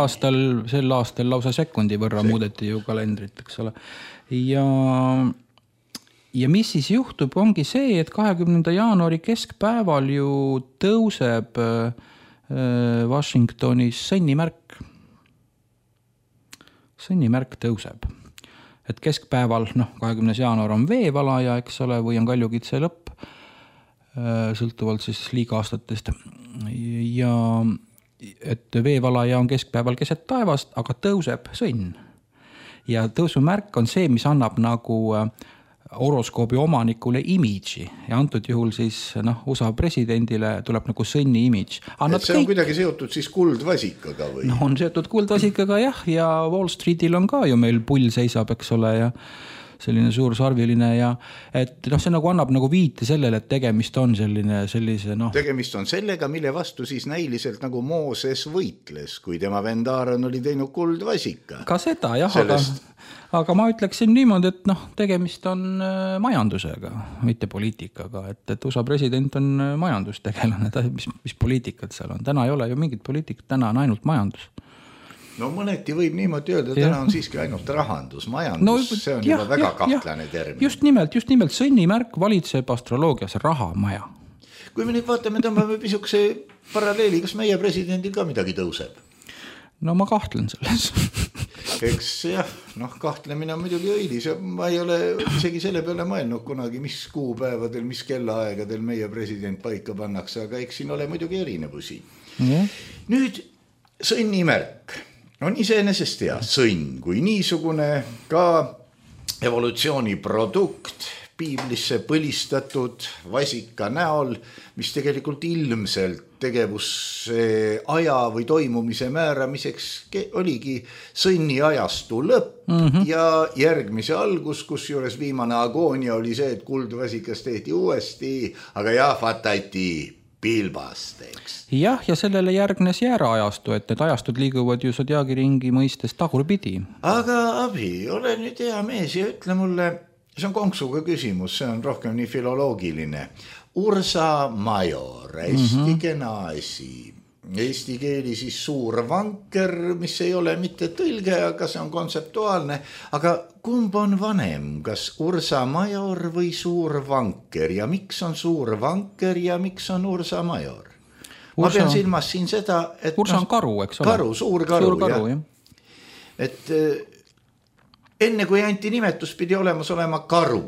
aastal lausa sekundi võrra muudeti ju kalendrit, eks ole. Ja mis siis juhtub, ongi see, et 20. jaanuari keskpäeval ju tõuseb Washingtonis sõnnimärk. Sõnnimärk tõuseb. Et keskpäeval, 20. jaanuar on veevalaja, eks ole, või on kaljukitse lõpp, sõltuvalt siis liigaastatest. Ja et veevalaja on keskpäeval keset taevast, aga tõuseb sõnn. Ja tõusumärk on see, mis annab nagu horoskoobi omanikule imidži ja antud juhul siis USA presidendile tuleb nagu sõnni imidž. Et see on kuidagi seotud siis kuldvasikaga või? On seotud kuldvasikaga jah, ja Wall Streetil on ka ju meil pull seisab, eks ole, ja selline suur sarviline ja et see nagu annab nagu viite sellele, et tegemist on sellise Tegemist on sellega, mille vastu siis näiliselt nagu Mooses võitles, kui tema vend Aaron oli teinud kuldvasika. Ka seda jah, aga ma ütleksin niimoodi, et tegemist on majandusega, mitte poliitikaga, et USA president on majandustegelane, mis poliitikat seal on. Täna ei ole ju mingit poliitikat, täna on ainult majandus. No mõneti võib niimoodi öelda, täna on siiski ainult rahandus, majandus, see on juba väga kahtlane termin. Just nimelt, sõnnimärk valitseb astroloogias rahamaja. Kui me nüüd vaatame, tõmbame pisukese paralleeli, kas meie presidendil ka midagi tõuseb? No ma kahtlen selles. Eks jah, kahtlemine on muidugi õilis ja ma ei ole isegi selle peale mõelnud kunagi, mis kuupäevadel, mis kellaaegadel meie president paika pannakse, aga eks siin ole muidugi erinevusi. Nüüd sõnnimärk on iseenesest hea, sõnn kui niisugune ka evolutsiooni produkt piiblisse põlistatud vasika näol, mis tegelikult ilmselt tegevuse aja või toimumise määramiseks oligi sõnni ajastu lõpp ja järgmise algus, kus juures viimane agoonia oli see, et kuldvasikas tehti uuesti, aga jahvatati pilbasteks. Jah, ja sellele järgnes jääraajastu, et need ajastud liiguvad ju sodiaagi ringi mõistes tagurpidi. Aga abi, ole nüüd hea mees ja ütle mulle, see on konksuga küsimus, see on rohkem nii filoloogiline. Ursa Major, hästi kena asi. Eesti keeli siis suur vanker, mis ei ole mitte tõlge, aga see on kontseptuaalne. Aga kumb on vanem, kas Ursa Major või suur vanker ja miks on suur vanker ja miks on Ursa Major? Ma pean silmas siin seda, et Ursa on karu, eks ole? Karu, suur karu, jah. Et enne kui anti nimetus pidi olemas olema karu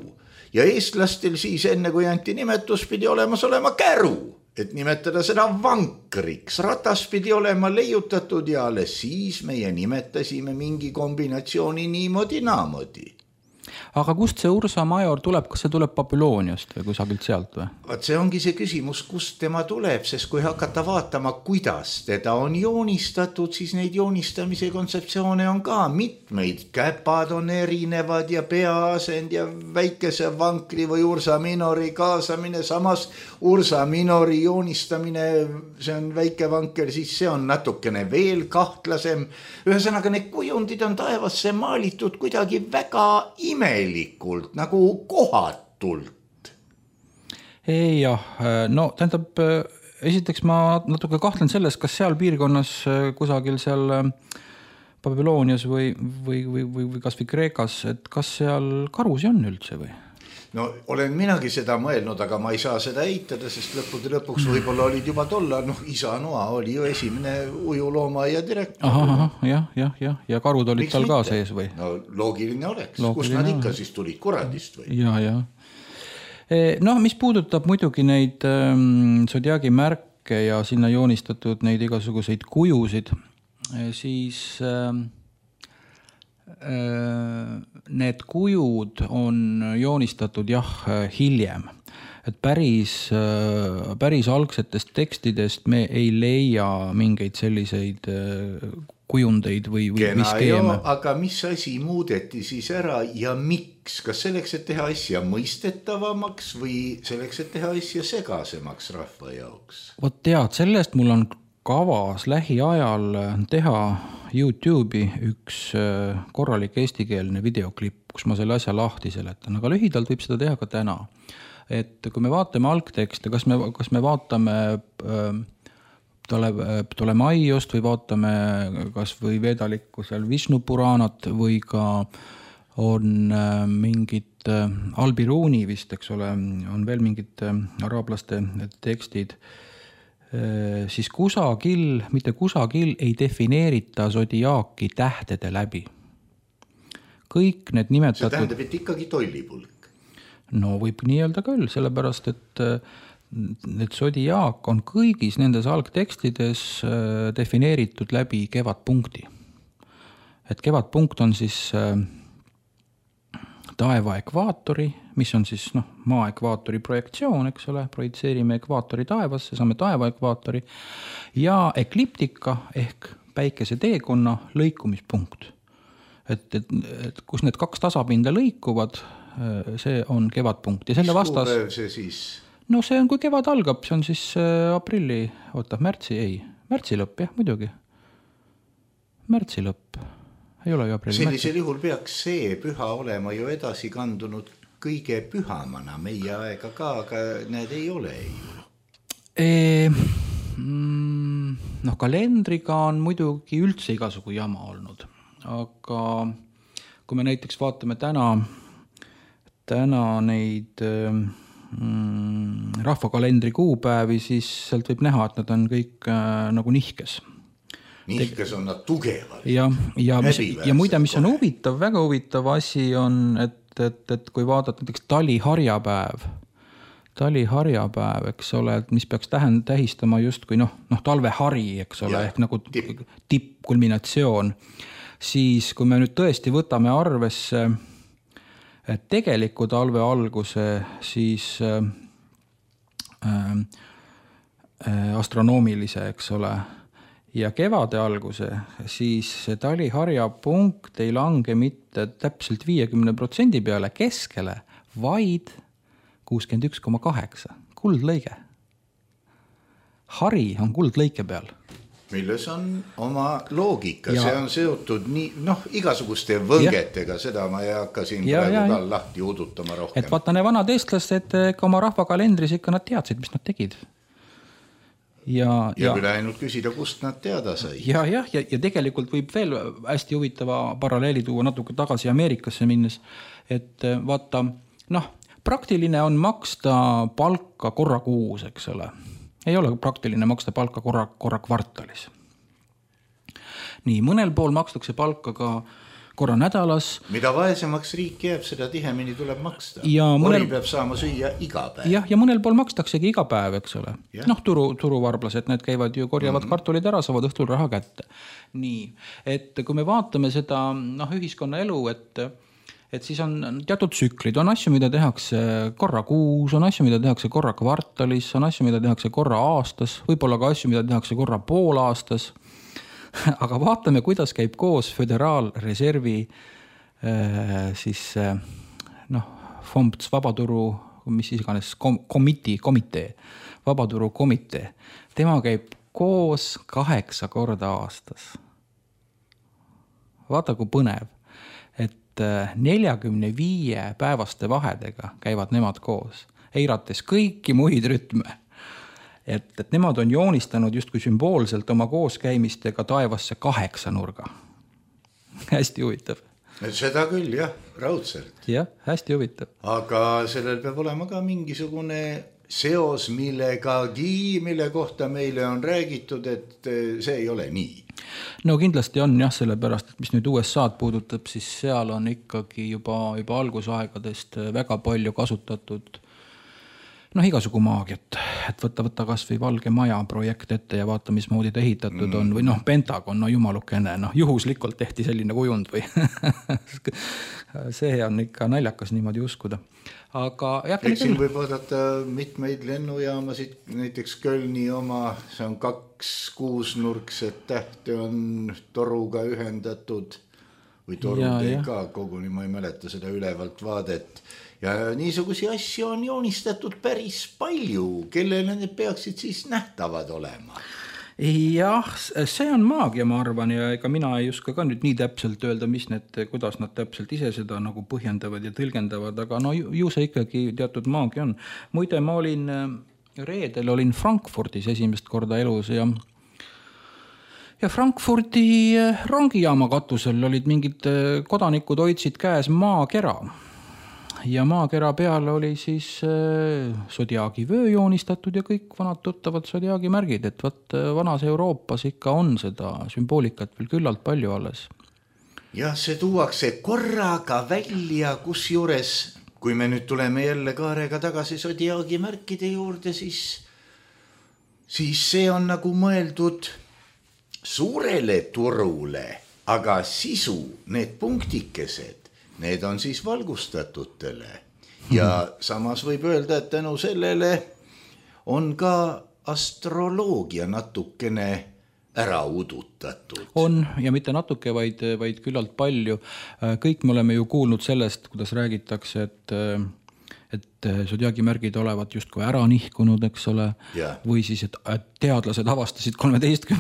ja eestlastel siis enne kui anti nimetus pidi olemas olema käru. Et nimetada seda vankriks. Ratas pidi olema leiutatud ja alles siis meie nimetasime mingi kombinatsiooni niimoodi naamodi. Aga kust see Ursa Major tuleb? Kas see tuleb Babyloniast või kusagilt sealt või? Vaat see ongi see küsimus, kust tema tuleb, sest kui hakata vaatama, kuidas teda on joonistatud, siis neid joonistamise kontseptsioone on ka mitmeid. Käpad on erinevad ja peaasend ja väikese vankri või Ursa Minori kaasamine. Samas Ursa Minori joonistamine, see on väike vanker, siis see on natukene veel kahtlasem. Ühesõnaga, need kujundid on taevasse maalitud kuidagi väga imelikult, nagu kohatult. Jah, no tähendab, esiteks ma natuke kahtlen selles, kas seal piirkonnas kusagil seal Babylonias või kas või Kreekas, et kas seal karusi on üldse või? No olen minagi seda mõelnud, aga ma ei saa seda eitada, sest lõpuks võib-olla olid juba tolla, isa Noa oli ju esimene ujuloomaaia direktor. Ja karud olid tal ka sees või? No loogiline oleks, kus nad ikka siis tulid, kuradist või? Ja. No mis puudutab muidugi neid Zodiaagi märke ja sinna joonistatud neid igasuguseid kujusid, siis need kujud on joonistatud hiljem. Et päris algsetest tekstidest me ei leia mingeid selliseid kujundeid või skeeme. Aga mis asi muudeti siis ära ja miks? Kas selleks, et teha asja mõistetavamaks või selleks, et teha asja segasemaks rahva jaoks? Vot tead, sellest mul on kavas lähiajal teha YouTube'i üks korralik eestikeelne videoklipp, kus ma selle asja lahti seletan, aga lühidalt võib seda teha ka täna. Et kui me vaatame algtekste, kas me vaatame Ptolemaiust või vaatame kas või veedalikku seal Vishnu Puranat või ka on mingid Al-Biruni vist, eks ole, on veel mingid araablaste tekstid, siis mitte kusagil ei defineerita Zodiaaki tähtede läbi. Kõik need nimetatud... See tähendab, et ikkagi tollipulk. No võib nii öelda küll, sellepärast, et Zodiaak on kõigis nendes algtekstides defineeritud läbi kevadpunkti. Et kevadpunkt on siis taeva ekvaatori, mis on siis maa ekvaatori projektsioon, eks ole, projitseerime ekvaatori taevasse, saame taeva ekvaatori ja ekliptika ehk päikese teekonna lõikumispunkt. Et kus need kaks tasapinda lõikuvad, see on kevadpunkt. Ja selle vastas... Mis kuupäev see siis? No see on, kui kevad algab, see on siis märtsi lõpp, jah, muidugi. Märtsi lõpp. Ei ole ju aprilli. Sellisel juhul peaks see püha olema ju edasi kandunud kõige pühamana meie aega ka, aga need ei ole ju. Kalendriga on muidugi üldse igasugu jama olnud, aga kui me näiteks vaatame täna neid rahvakalendri kuupäevi, siis sealt võib näha, et nad on kõik nagu nihkes. Nihkes on nad tugevad. Ja muide, mis on huvitav, väga huvitav asi on, et kui vaadata näiteks taliharjapäev, eks ole, et mis peaks tähistama justkui talvehari, eks ole, ehk nagu tippkulminatsioon, siis kui me nüüd tõesti võtame arvesse tegeliku talve alguse, siis astronoomilise, eks ole, ja kevade alguse, siis see taliharja punkt ei lange mitte täpselt 50% peale keskele, vaid 61,8. Kuldlõige. Hari on kuldlõike peal. Milles on oma loogika, see on seotud igasuguste võngetega, seda ma ei hakka siin praegu ka lahti udutama rohkem. Et vaata, need vanad eestlased oma rahvakalendris ikka nad teadsid, mis nad tegid. Ja küll ainult küsida, kust nad teada sai. Ja tegelikult võib veel hästi huvitava paralleeli tuua natuke tagasi Ameerikasse minnes, et vaata, praktiline on maksta palka korra kuus, eks ole. Ei ole praktiline maksta palka korra kvartalis. Nii, mõnel pool makstakse palka ka korra nädalas. Mida vaesemaks riik jääb, seda tihemini tuleb maksta. Mõnel peab saama süüa iga päev. Ja mõnel pool makstaksegi iga päev, eks ole. Turuvarblased, need käivad ju, korjavad kartulid ära, saavad õhtul raha kätte. Nii, et kui me vaatame seda ühiskonna elu, et siis on teatud tsüklid, on asju, mida tehakse korra kuus, on asju, mida tehakse korra kvartalis, on asju, mida tehakse korra aastas, võib-olla ka asju, mida tehakse korra pool aastas. Aga vaatame, kuidas käib koos Föderaalreservi FOMPS, vabaturu, mis iganes, komitee, vabaturu komitee. Tema käib koos 8 korda aastas. Vaata, kui põnev, et 45 päevaste vahedega käivad nemad koos, eirates kõiki muid rütme. et nemad on joonistanud justkui sümboolselt oma kooskäimistega taevasse 8 nurga. Hästi huvitav. Seda küll, jah, raudselt. Jah, hästi huvitav. Aga sellel peab olema ka mingisugune seos millegagi, mille kohta meile on räägitud, et see ei ole nii. No kindlasti on jah, sellepärast, et mis nüüd USA'd puudutab, siis seal on ikkagi juba algusaegadest väga palju kasutatud igasugu maagiat, et võtta kas või Valge Maja projekt ette ja vaata, mismoodi ta ehitatud on või Pentagon, jumalukene, juhuslikult tehti selline kujund või see on ikka naljakas niimoodi uskuda. Aga siin võib vaadata mitmeid lennujaamasid, näiteks Kölni oma, see on 2 6-nurkset tähte on toruga ühendatud või torudega, koguni ma ei mäleta seda ülevalt vaadet. Ja niisugusi asju on joonistatud päris palju, kellele need peaksid siis nähtavad olema. Jah, see on maagia, ma arvan, ja ega mina ei oska ka nüüd nii täpselt öelda, kuidas nad täpselt ise seda nagu põhjendavad ja tõlgendavad, aga ju see ikkagi teatud maagia on. Muide, ma reedel olin Frankfurdis esimest korda elus ja Frankfurdi rongijaama katusel olid mingid kodanikud hoidsid käes maakera. Ja maakera peal oli siis Zodiaagi vöö joonistatud ja kõik vanad tuttavad Zodiaagi märgid, et vanas Euroopas ikka on seda sümboolikat veel küllalt palju alles. Ja see tuuakse korraga välja, kus juures, kui me nüüd tuleme jälle kaarega tagasi Zodiaagi märkide juurde, siis see on nagu mõeldud suurele turule, aga sisu, need punktikesed, need on siis valgustatutele ja samas võib öelda, et tänu sellele on ka astroloogia natukene ära udutatud. On ja mitte natuke, vaid küllalt palju. Kõik me oleme ju kuulnud sellest, kuidas räägitakse, et Zodiaagi märgid olevat justkui ära nihkunud, eks ole, või siis, et teadlased avastasid 13.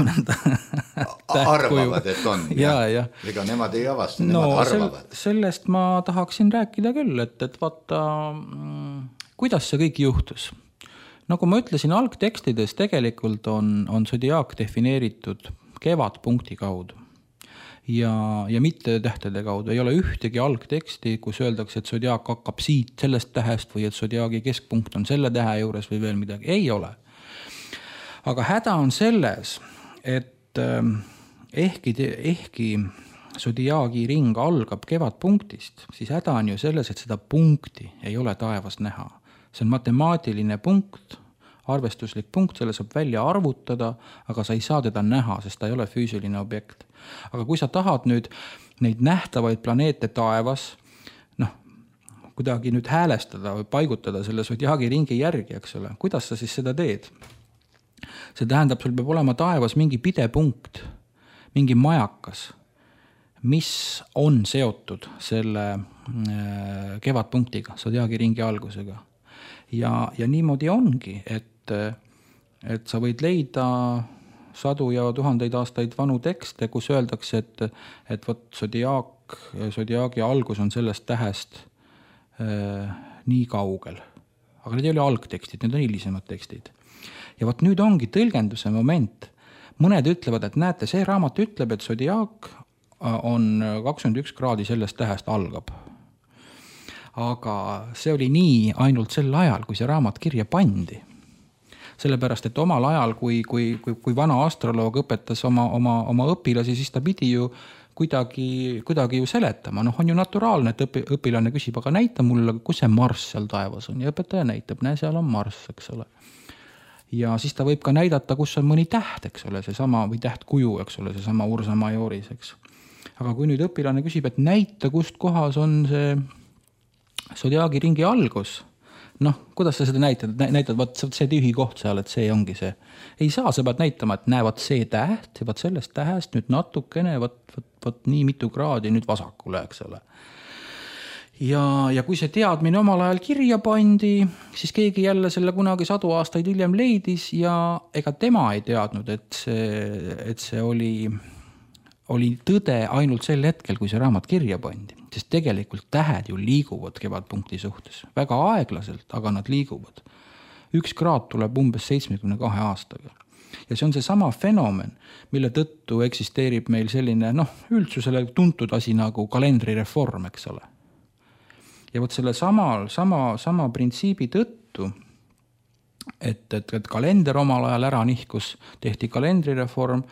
Arvavad, et on. Ega nemad ei avasta, nemad arvavad. Sellest ma tahaksin rääkida küll, et vaata, kuidas see kõik juhtus. Nagu ma ütlesin, algtekstides tegelikult on Zodiaak defineeritud kevadpunkti kaudu. Ja mitte tähtede kaudu. Ei ole ühtegi algteksti, kus öeldakse, et Zodiaak hakkab siit sellest tähest või et Zodiaagi keskpunkt on selle tähe juures või veel midagi. Ei ole. Aga häda on selles, et ehkki Zodiaagi ring algab kevadpunktist, siis häda on ju selles, et seda punkti ei ole taevas näha. See on matemaatiline punkt, arvestuslik punkt, selle saab välja arvutada, aga sa ei saa teda näha, sest ta ei ole füüsiline objekt. Aga kui sa tahad nüüd neid nähtavaid planeete taevas, kuidagi nüüd häälestada või paigutada selle Zodiaagi ringi järgi, eks ole, kuidas sa siis seda teed? See tähendab, sul peab olema taevas mingi pidepunkt, mingi majakas, mis on seotud selle kevadpunktiga, Zodiaagi ringi algusega. Ja niimoodi ongi, et sa võid leida sadu ja tuhandeid aastaid vanu tekste, kus öeldakse, et Zodiaagi algus on sellest tähest nii kaugel. Aga need ei ole algtekstid, need on hilisemad tekstid. Ja nüüd ongi tõlgenduse moment. Mõned ütlevad, et näete, see raamat ütleb, et Zodiaak on 21 kraadi sellest tähest algab. Aga see oli nii ainult sel ajal, kui see raamat kirja pandi. Sellepärast, et omal ajal, kui vana astroloog õpetas oma õpilasi, siis ta pidi ju kuidagi ju seletama. On ju naturaalne, et õpilane küsib, aga näita mulle, kus see Marss seal taevas on. Ja õpetaja näitab, seal on Marss, eks ole. Ja siis ta võib ka näidata, kus on mõni täht, eks ole, seesama või tähtkuju, eks ole, seesama Ursa Majoris, eks. Aga kui nüüd õpilane küsib, et näita, kust kohas on see Zodiaagi ringi algus, kuidas sa seda näitad, see tühi koht seal, et see ongi see. Ei saa, sa pead näitama, et näevad see täht, ja sellest tähest nüüd natukene, nii mitu kraadi nüüd vasakule, eks ole. Ja kui see teadmine omal ajal kirja pandi, siis keegi jälle selle kunagi 100 aastaid hiljem leidis ja ega tema ei teadnud, et see oli tõde ainult sel hetkel, kui see raamat kirja pandi. Sest tegelikult tähed ju liiguvad kevadpunkti suhtes. Väga aeglaselt, aga nad liiguvad. üks kraad tuleb umbes 72 aastaga. Ja see on see sama fenomen, mille tõttu eksisteerib meil selline üldsusele tuntud asi nagu kalendrireform, eks ole. Ja võt selle sama printsiibi tõttu, et kalender omal ajal ära nihkus, tehti kalendrireform,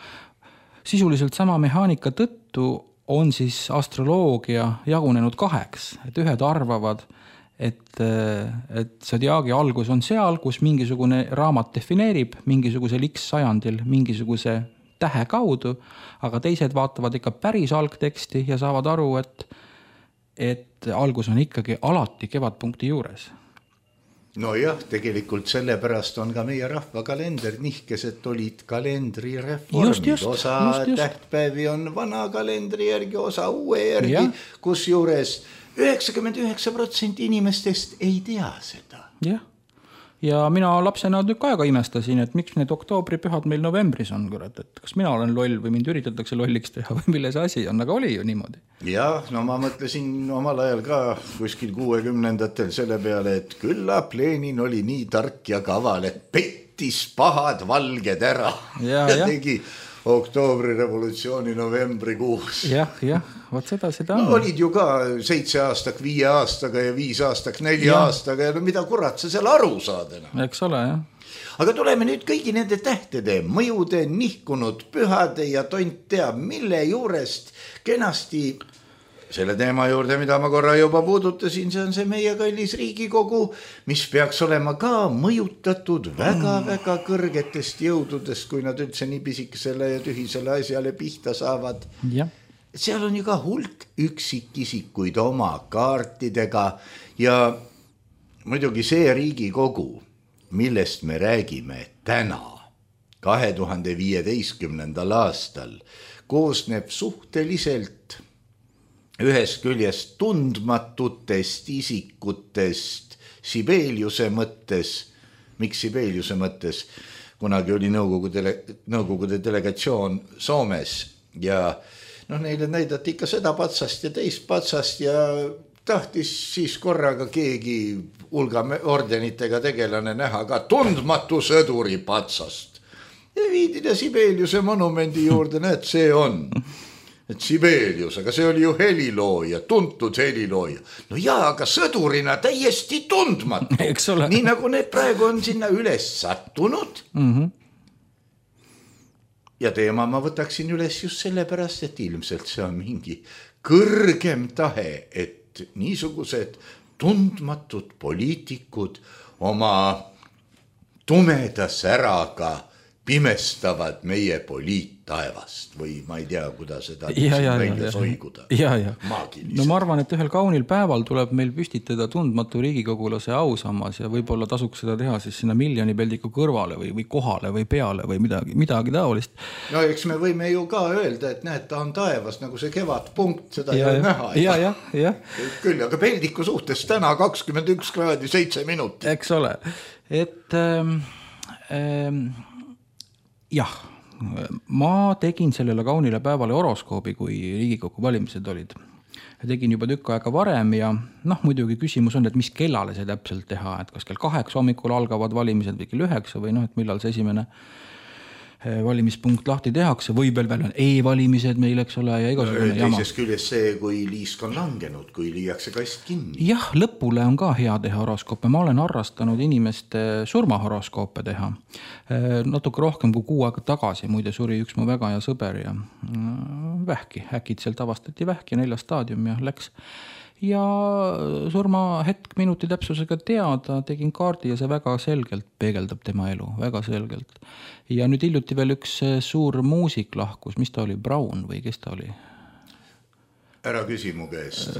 sisuliselt sama mehaanika tõttu on siis astroloogia jagunenud 2, et ühed arvavad, et Zodiaagi algus on seal, kus mingisugune raamat defineerib mingisugusel X sajandil mingisuguse tähe kaudu, aga teised vaatavad ikka päris algteksti ja saavad aru, et algus on ikkagi alati kevadpunkti juures. No jah, tegelikult sellepärast on ka meie rahvakalender nihkesed olid kalendrireformid. Osa tähtpäevi on vana kalendri järgi, osa uue järgi, kus juures 99% inimestest ei tea seda. Jah. Ja mina lapsena tükk aega imestasin, et miks need oktoobripühad meil novembris on, kurat, et kas mina olen loll või mind üritatakse lolliks teha või milles asi on, aga oli ju niimoodi. Jah, no ma mõtlesin omal ajal ka kuskil 60-ndatel selle peale, et küllap Lenin oli nii tark ja kaval, et pettis pahad valged ära ja tegi oktoobri revolutsiooni novembrikuus. Jah, võt seda on. No, olid ju ka 7 aastak 5 aastaga ja 5 aastak 4 aastaga ja mida kurat sa seal aru saad enam. Eks ole, jah. Aga tuleme nüüd kõigi nende tähtede, mõjude, nihkunud pühade ja tont teab, mille juurest kenasti selle teema juurde, mida ma korra juba puudutasin, see on see meie kallis Riigikogu, mis peaks olema ka mõjutatud väga-väga kõrgetest jõududest, kui nad üldse nii pisikesele ja tühisele asjale pihta saavad. Ja. Seal on ju ka hulk üksikisikuid oma kaartidega ja muidugi see Riigikogu, millest me räägime täna, 2015. aastal, koosneb suhteliselt ühest küljest tundmatutest isikutest Sibeliuse mõttes. Miks Sibeliuse mõttes? Kunagi oli Nõukogude delegatsioon Soomes ja neile näidati ikka seda patsast ja teist patsast ja tahtis siis korraga keegi hulga ordenitega tegelane näha ka tundmatu sõduri patsast. Ja viidida Sibeliuse monumendi juurde, näed, see on. Et Sibelius, aga see oli ju helilooja, tuntud helilooja. No jaa, aga sõdurina täiesti tundmatu. Nii nagu need praegu on sinna üles sattunud. Ja teema ma võtaksin üles just sellepärast, et ilmselt see on mingi kõrgem tahe, et niisugused tundmatud poliitikud oma tumeda säraga pimestavad meie poliittaevast või ma ei tea, kuidas seda välja soiguda. No ma arvan, et ühel kaunil päeval tuleb meil püstitada tundmatu riigikogulase ausammas ja võib-olla tasuks seda teha siis sinna miljonipeldiku kõrvale või kohale või peale või midagi taolist. No eks me võime ju ka öelda, et näed, ta on taevas nagu see kevadpunkt, seda ei ole näha. Ja. Küll, aga peldiku suhtes täna 21 kraadi 7 minutit. Eks ole, et jah, ma tegin sellele kaunile päevale horoskoobi, kui Riigikogu valimised olid. Tegin juba tükk aega varem ja muidugi küsimus on, et mis kellale see täpselt teha, et kas kell 8 hommikul algavad valimised või kell 9 või et millal see esimene valimispunkt lahti tehakse või veel on e-valimised meil, eks ole, ja igasugune jama. Teises küljes see, kui liisk on langenud, kui liiakse kast kinni. Jah, lõpule on ka hea teha horoskoope. Ma olen harrastanud inimeste surmahoroskoope teha. Natuke rohkem kui 6 aega tagasi, muide suri üks mu väga hea sõber ja vähki. Äkitselt avastati vähki 4 staadium ja läks. Ja surma hetk minuti täpsusega teada, tegin kaardi ja see väga selgelt peegeldab tema elu, väga selgelt. Ja nüüd hiljuti veel üks suur muusik lahkus, mis ta oli, Brown või kes ta oli? Ära küsi mu käest.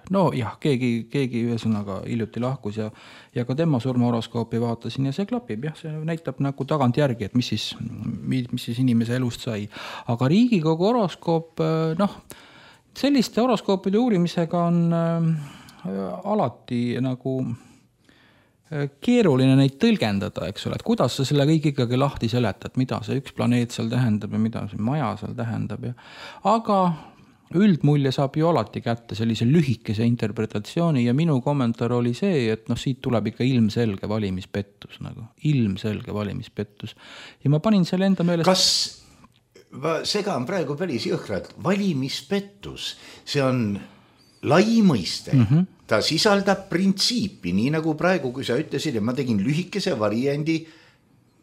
No jah, keegi ühesõnaga hiljuti lahkus ja ka tema surmahoroskoopi vaatasin ja see klapib, jah, see näitab nagu tagant järgi, et mis siis inimese elust sai. Aga Riigikogu horoskoop, selliste horoskoopide uurimisega on alati nagu keeruline neid tõlgendada, eks ole, et kuidas sa selle kõik ikkagi lahti seletad, mida see üks planeet seal tähendab ja mida see maja seal tähendab. Aga üldmulje saab ju alati kätte sellise lühikese interpretatsiooni ja minu kommentaar oli see, et siit tuleb ikka ilmselge valimispettus ilmselge valimispettus. Ja ma panin selle enda meelest... Ma segan praegu päris jõhkralt. Valimispettus, see on lai mõiste. Ta sisaldab printsiipi, nii nagu praegu, kui sa ütlesid, ja ma tegin lühikese variandi,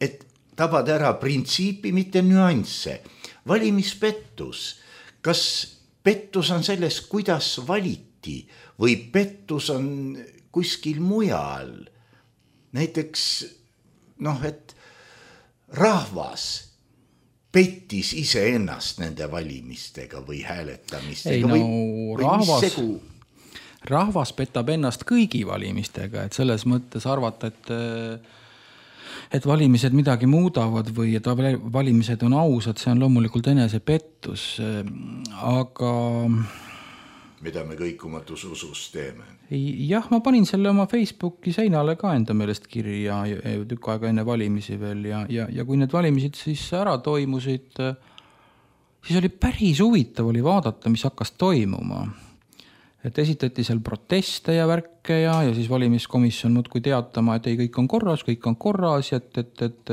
et tabada ära printsiipi, mitte nüansse. Valimispettus, kas pettus on selles, kuidas valiti või pettus on kuskil mujal? Näiteks, et rahvas pettis iseennast nende valimistega või hääletamistega. Rahvas petab ennast kõigi valimistega, et selles mõttes arvata, et valimised midagi muudavad või et valimised on ausad, see on loomulikult enesepettus, aga... Mida me kõikumatus usus teeme? Jah, ma panin selle oma Facebooki seinale ka enda meelest kirja tükk aega enne valimisi veel ja kui need valimised siis ära toimusid, siis oli päris huvitav oli vaadata, mis hakkas toimuma. Et esitati seal proteste ja värke ja siis valimiskomisjon muudkui teatama, et ei, kõik on korras ja et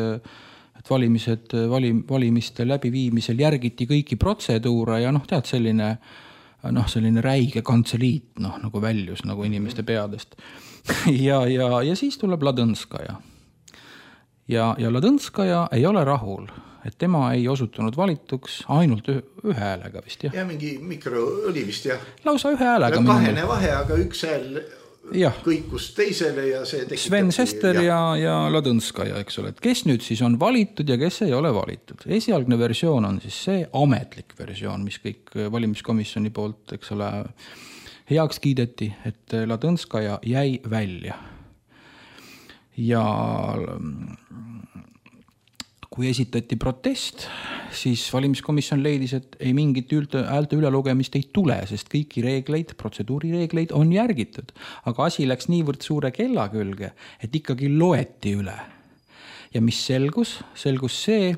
valimiste läbiviimisel järgiti kõiki protseduure ja tead selline räige kantseliit, nagu väljus nagu inimeste peadest. Ja siis tuleb Ladõnskaja. Ja Ladõnskaja ei ole rahul, et tema ei osutunud valituks ainult ühe häälega vist, jah? Ja mingi mikro oli vist, jah. Lausa ühe häälega. Kahene vahe, aga üks hääl kõikus teisele ja see tekitab... Sven Sester ja Ladõnskaja, eks ole. Et kes nüüd siis on valitud ja kes ei ole valitud? Esialgne versioon on siis see ametlik versioon, mis kõik valimiskomisjoni poolt, eks ole, heaks kiideti, et Ladõnskaja jäi välja. Ja kui esitati protest, siis valimiskomisjon leidis, et ei mingit häälte ülelugemist ei tule, sest kõiki reegleid, protseduurireegleid on järgitud. Aga asi läks niivõrd suure kella külge, et ikkagi loeti üle. Ja mis selgus? Selgus see,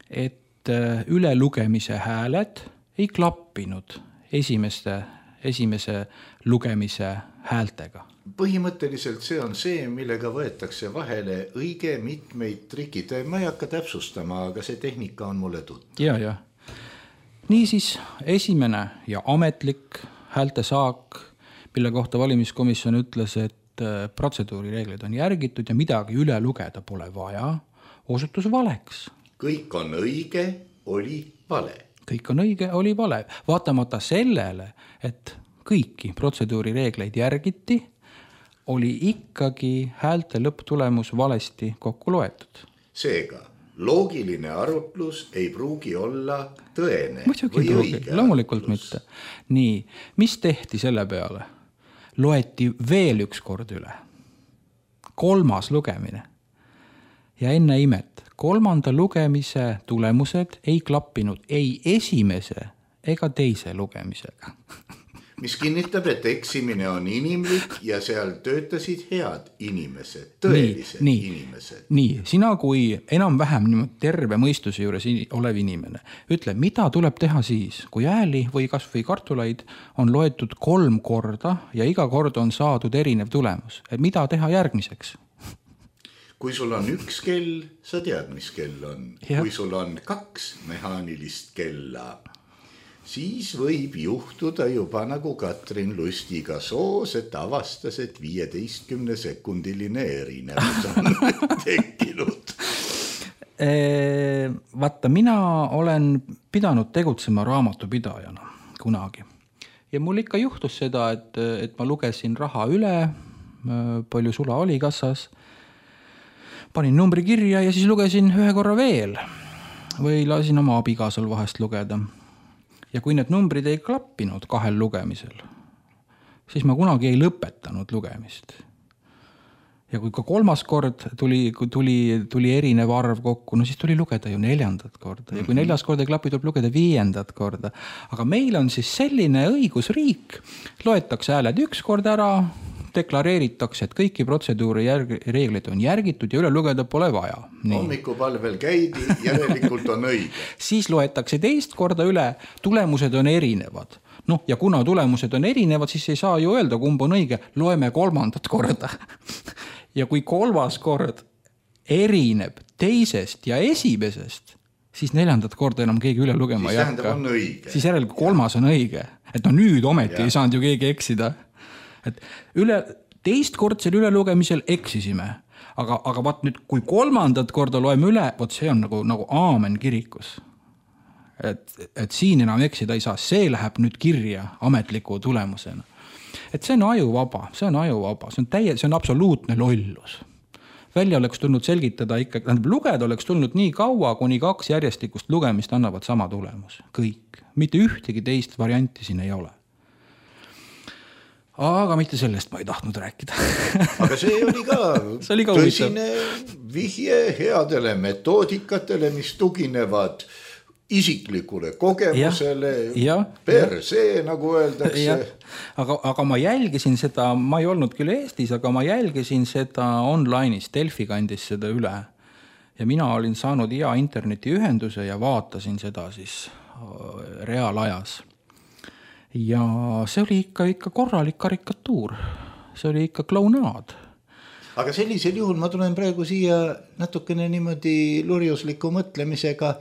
et ülelugemise hääled ei klappinud esimese lugemise häältega. Põhimõtteliselt see on see, millega võetakse vahele õige mitmeid trikid. Ma ei hakka täpsustama, aga see tehnika on mulle tuttav. Ja. Niisiis, esimene ja ametlik häältesaak, mille kohta valimiskomisjon ütles, et protseduurireeglid on järgitud ja midagi üle lugeda pole vaja, osutus valeks. Kõik on õige, oli vale. Kõik on õige, oli vale. Vaatamata sellele, et kõiki protseduurireegleid järgiti, oli ikkagi häälte lõpptulemus valesti kokku loetud. Seega, loogiline arutlus ei pruugi olla tõene või õige. Loomulikult mitte. Nii, mis tehti selle peale? Loeti veel üks kord üle. 3. lugemine. Ja enne imet, 3. lugemise tulemused ei klappinud ei esimese ega teise lugemisega. Mis kinnitab, et eksimine on inimlik ja seal töötasid head inimesed, tõelised inimesed. Nii, sina kui enam-vähem terve mõistuse juures olev inimene, ütle, mida tuleb teha siis, kui hääli või kas või kartulaid on loetud 3 korda ja iga kord on saadud erinev tulemus. Et mida teha järgmiseks? Kui sul on 1 kell, sa tead, mis kell on. Ja. Kui sul on 2 mehaanilist kella, siis võib juhtuda juba nagu Katrin Lustiga soos, et avastas, et 15-sekundiline erinevus on tekkinud. Vaata, mina olen pidanud tegutsema raamatupidajana kunagi. Ja mul ikka juhtus seda, et ma lugesin raha üle, palju sula oli kassas, panin numbri kirja ja siis lugesin 1 korra veel või lasin oma abikaasal vahest lugeda. Ja kui need numbrid ei klappinud 2 lugemisel, siis ma kunagi ei lõpetanud lugemist. Ja kui ka 3. kord tuli erinev arv kokku, no siis tuli lugeda ju 4. korda. Ja kui 4. kord ei klapi, tuleb lugeda 5. korda. Aga meil on siis selline õigusriik, loetakse hääled 1 kord ära, deklareeritakse, et kõiki protseduuri reegleid on järgitud ja üle lugeda pole vaja. Hommikupalvel käidi, järelikult on õige. Siis loetakse 2. korda üle, tulemused on erinevad. Noh, ja kuna tulemused on erinevad, siis ei saa ju öelda, kumb on õige. Loeme 3. korda. Ja kui 3. kord erineb teisest ja esimesest, siis 4. korda enam keegi üle lugema ei hakka. Siis järelikult 3. on õige. Et no nüüd ometi ei saanud ju keegi eksida. Et teistkordsel ülelugemisel eksisime. Aga vaat nüüd, kui 3. korda loeme üle, vot see on nagu aamen kirikus. Et siin enam eksida ei saa, see läheb nüüd kirja ametliku tulemusena. Et see on ajuvaba, see on absoluutne lollus. Välja oleks tulnud selgitada ikkagi, lugeda oleks tulnud nii kaua, kuni 2 järjestikust lugemist annavad sama tulemus. Kõik. Mitte ühtegi teist varianti siin ei ole. Aga mitte sellest ma ei tahtnud rääkida. Aga see oli ka tõsine vihje headele metoodikatele, mis tuginevad isiklikule kogemusele, per see, nagu öeldakse. Aga ma jälgisin seda, ma ei olnud küll Eestis, aga ma jälgisin seda online'is, Delfi kandis seda üle. Ja mina olin saanud hea internetiühenduse ja vaatasin seda siis reaalajas. Ja see oli ikka korralik karikatuur. See oli ikka klaunaad. Aga sellisel juhul ma tulen praegu siia natukene niimoodi lurjusliku mõtlemisega,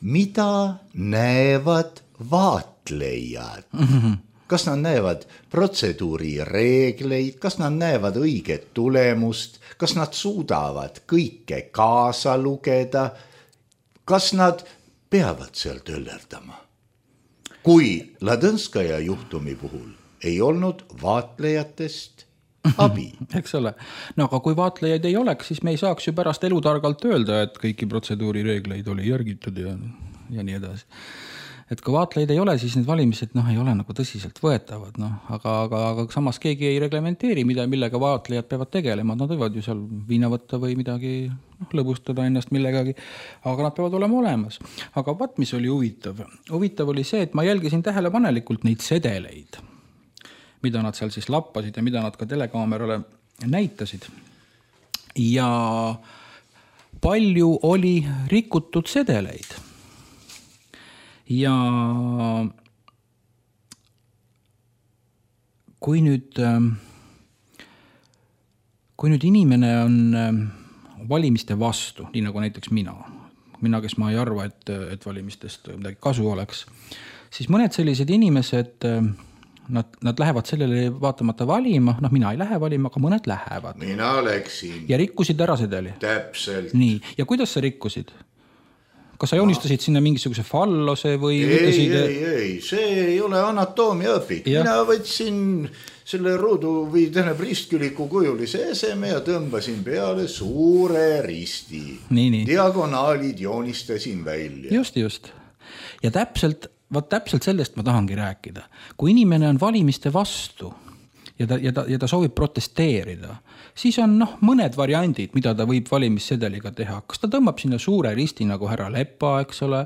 mida näevad vaatlejad? Kas nad näevad protseduuri reegleid, kas nad näevad õiget tulemust, kas nad suudavad kõike kaasa lugeda, kas nad peavad seal töllerdama? Kui Ladõnskaja juhtumi puhul ei olnud vaatlejatest abi. Eks ole. No aga kui vaatlejaid ei oleks, siis me ei saaks ju pärast elutargalt öelda, et kõiki protseduuri reegleid oli järgitud ja nii edasi. Et kui vaatlejaid ei ole, siis need valimised ei ole nagu tõsiselt võetavad. Aga samas keegi ei reglementeeri, millega vaatlejad peavad tegelema. Nad võivad ju seal viina võtta või midagi lõbustada ennast millegagi, aga nad peavad olema olemas. Aga vaat, mis oli huvitav? Huvitav oli see, et ma jälgisin tähelepanelikult neid sedeleid, mida nad seal siis lappasid ja mida nad ka telekaamerale näitasid. Ja palju oli rikutud sedeleid. Ja kui nüüd inimene on valimiste vastu, nii nagu näiteks mina, kes ma ei arva, et valimistest midagi kasu oleks, siis mõned sellised inimesed, nad lähevad sellele vaatamata valima, mina ei lähe valima, aga mõned lähevad. Mina läksin. Ja rikkusid ära sedeli. Täpselt. Nii, ja kuidas sa rikkusid? Kas sa joonistasid sinna mingisuguse fallose või Ei, see ei ole anatoomia õpik. Mina võtsin selle ruudu või ristküliku kujulise eseme ja tõmbasin peale suure risti. Nii. Diagonaalid joonistasin välja. Just. Ja täpselt sellest ma tahangi rääkida. Kui inimene on valimiste vastu ja ta soovib protesteerida, siis on mõned variandid, mida ta võib valimissedeliga teha. Kas ta tõmbab sinna suure risti nagu härra Lepa, eks ole?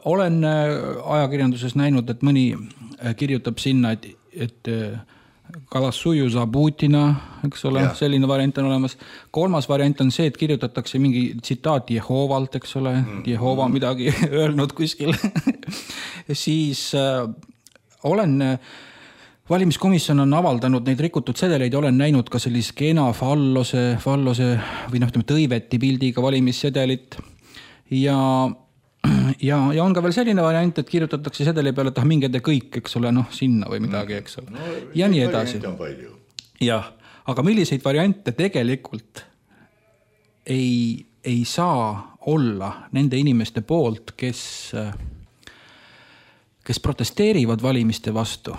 Olen ajakirjanduses näinud, et mõni kirjutab sinna, et Kalassuju Zabutina, eks ole, selline variant on olemas. 3. variant on see, et kirjutatakse mingi tsitaat Jehovalt, eks ole, Jehova midagi öelnud kuskil. Siis olen valimiskomisjon on avaldanud neid rikutud sedeleid ja olen näinud ka sellise kena fallose või tõiveti pildiga valimissedelit. Ja on ka veel selline variant, et kirjutatakse sedeli peale, et minge te kõik, eks ole, sinna või midagi, eks ole. Ja nii edasi. Jah, aga milliseid variante tegelikult ei saa olla nende inimeste poolt, kes protesteerivad valimiste vastu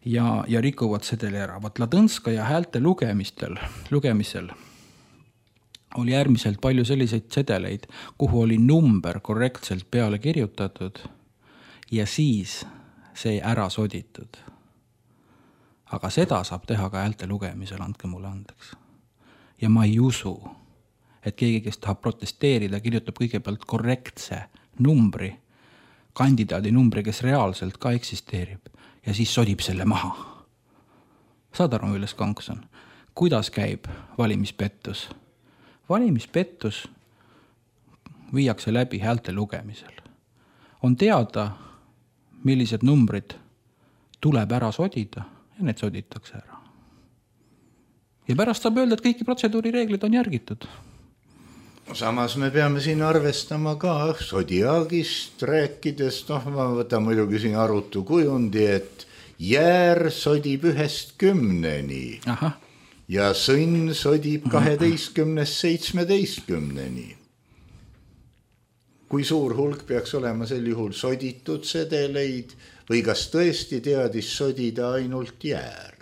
ja rikuvad sedeli ära. Vaat Ladõnskaja häälte lugemisel oli äärmiselt palju selliseid sedeleid, kuhu oli number korrektselt peale kirjutatud ja siis see ära soditud. Aga seda saab teha ka häälte lugemisel, andke mulle andeks. Ja ma ei usu, et keegi, kes tahab protesteerida, kirjutab kõigepealt korrektse numbri, kandidaadi numbri, kes reaalselt ka eksisteerib ja siis sodib selle maha. Saad aru, milles konks on? Kuidas käib valimispettus? Valimispettus viiakse läbi häälte lugemisel. On teada, millised numbrid tuleb ära sodida ja need soditakse ära. Ja pärast saab öelda, et kõiki protseduurireeglid on järgitud. Samas me peame siin arvestama ka Zodiaagist rääkides, ma võtan muidugi siin arutu kujundi, et jäär sodib 1-10-ni. Aha. Ja sõnn sodib 12-17-ni. Kui suur hulk peaks olema sel juhul soditud sedeleid või kas tõesti teadis sodida ainult jäär?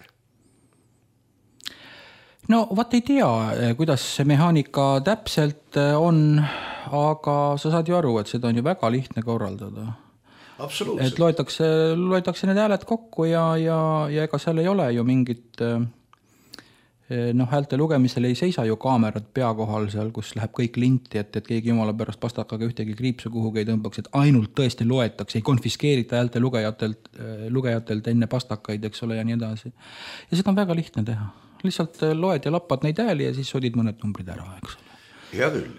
No vaat ei tea, kuidas see mehaanika täpselt on, aga sa saad ju aru, et seda on ju väga lihtne korraldada. Absoluutselt. Et loetakse need hääled kokku ja ega seal ei ole ju mingit häälte lugemisel ei seisa ju kaamerad pea kohal seal, kus läheb kõik linti, et keegi jumala pärast pastakaga ühtegi kriipsu kuhugi ei tõmbaks, et ainult tõesti loetakse, ei konfiskeerita häälte lugejatelt enne pastakaid, eks ole, ja nii edasi. Ja seda on väga lihtne teha. Lihtsalt loed ja lappad neid hääli ja siis sodid mõned numbrid ära, eks ole. Hea küll.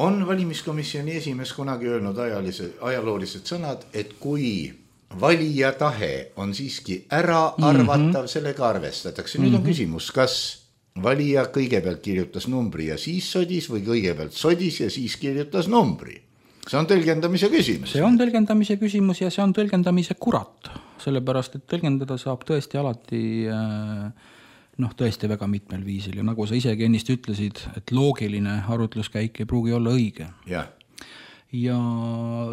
On valimiskomisjoni esimees kunagi öelnud ajaloolised sõnad, et kui valija tahe on siiski ära arvatav, sellega arvestatakse. Nüüd on küsimus, kas valija kõigepealt kirjutas numbri ja siis sodis või kõigepealt sodis ja siis kirjutas numbri. See on tõlgendamise küsimus. See on tõlgendamise küsimus ja see on tõlgendamise kurat, sellepärast, et tõlgendada saab tõesti alati tõesti väga mitmel viisil ja nagu sa isegi ennist ütlesid, et loogiline arutluskäik ei pruugi olla õige. Ja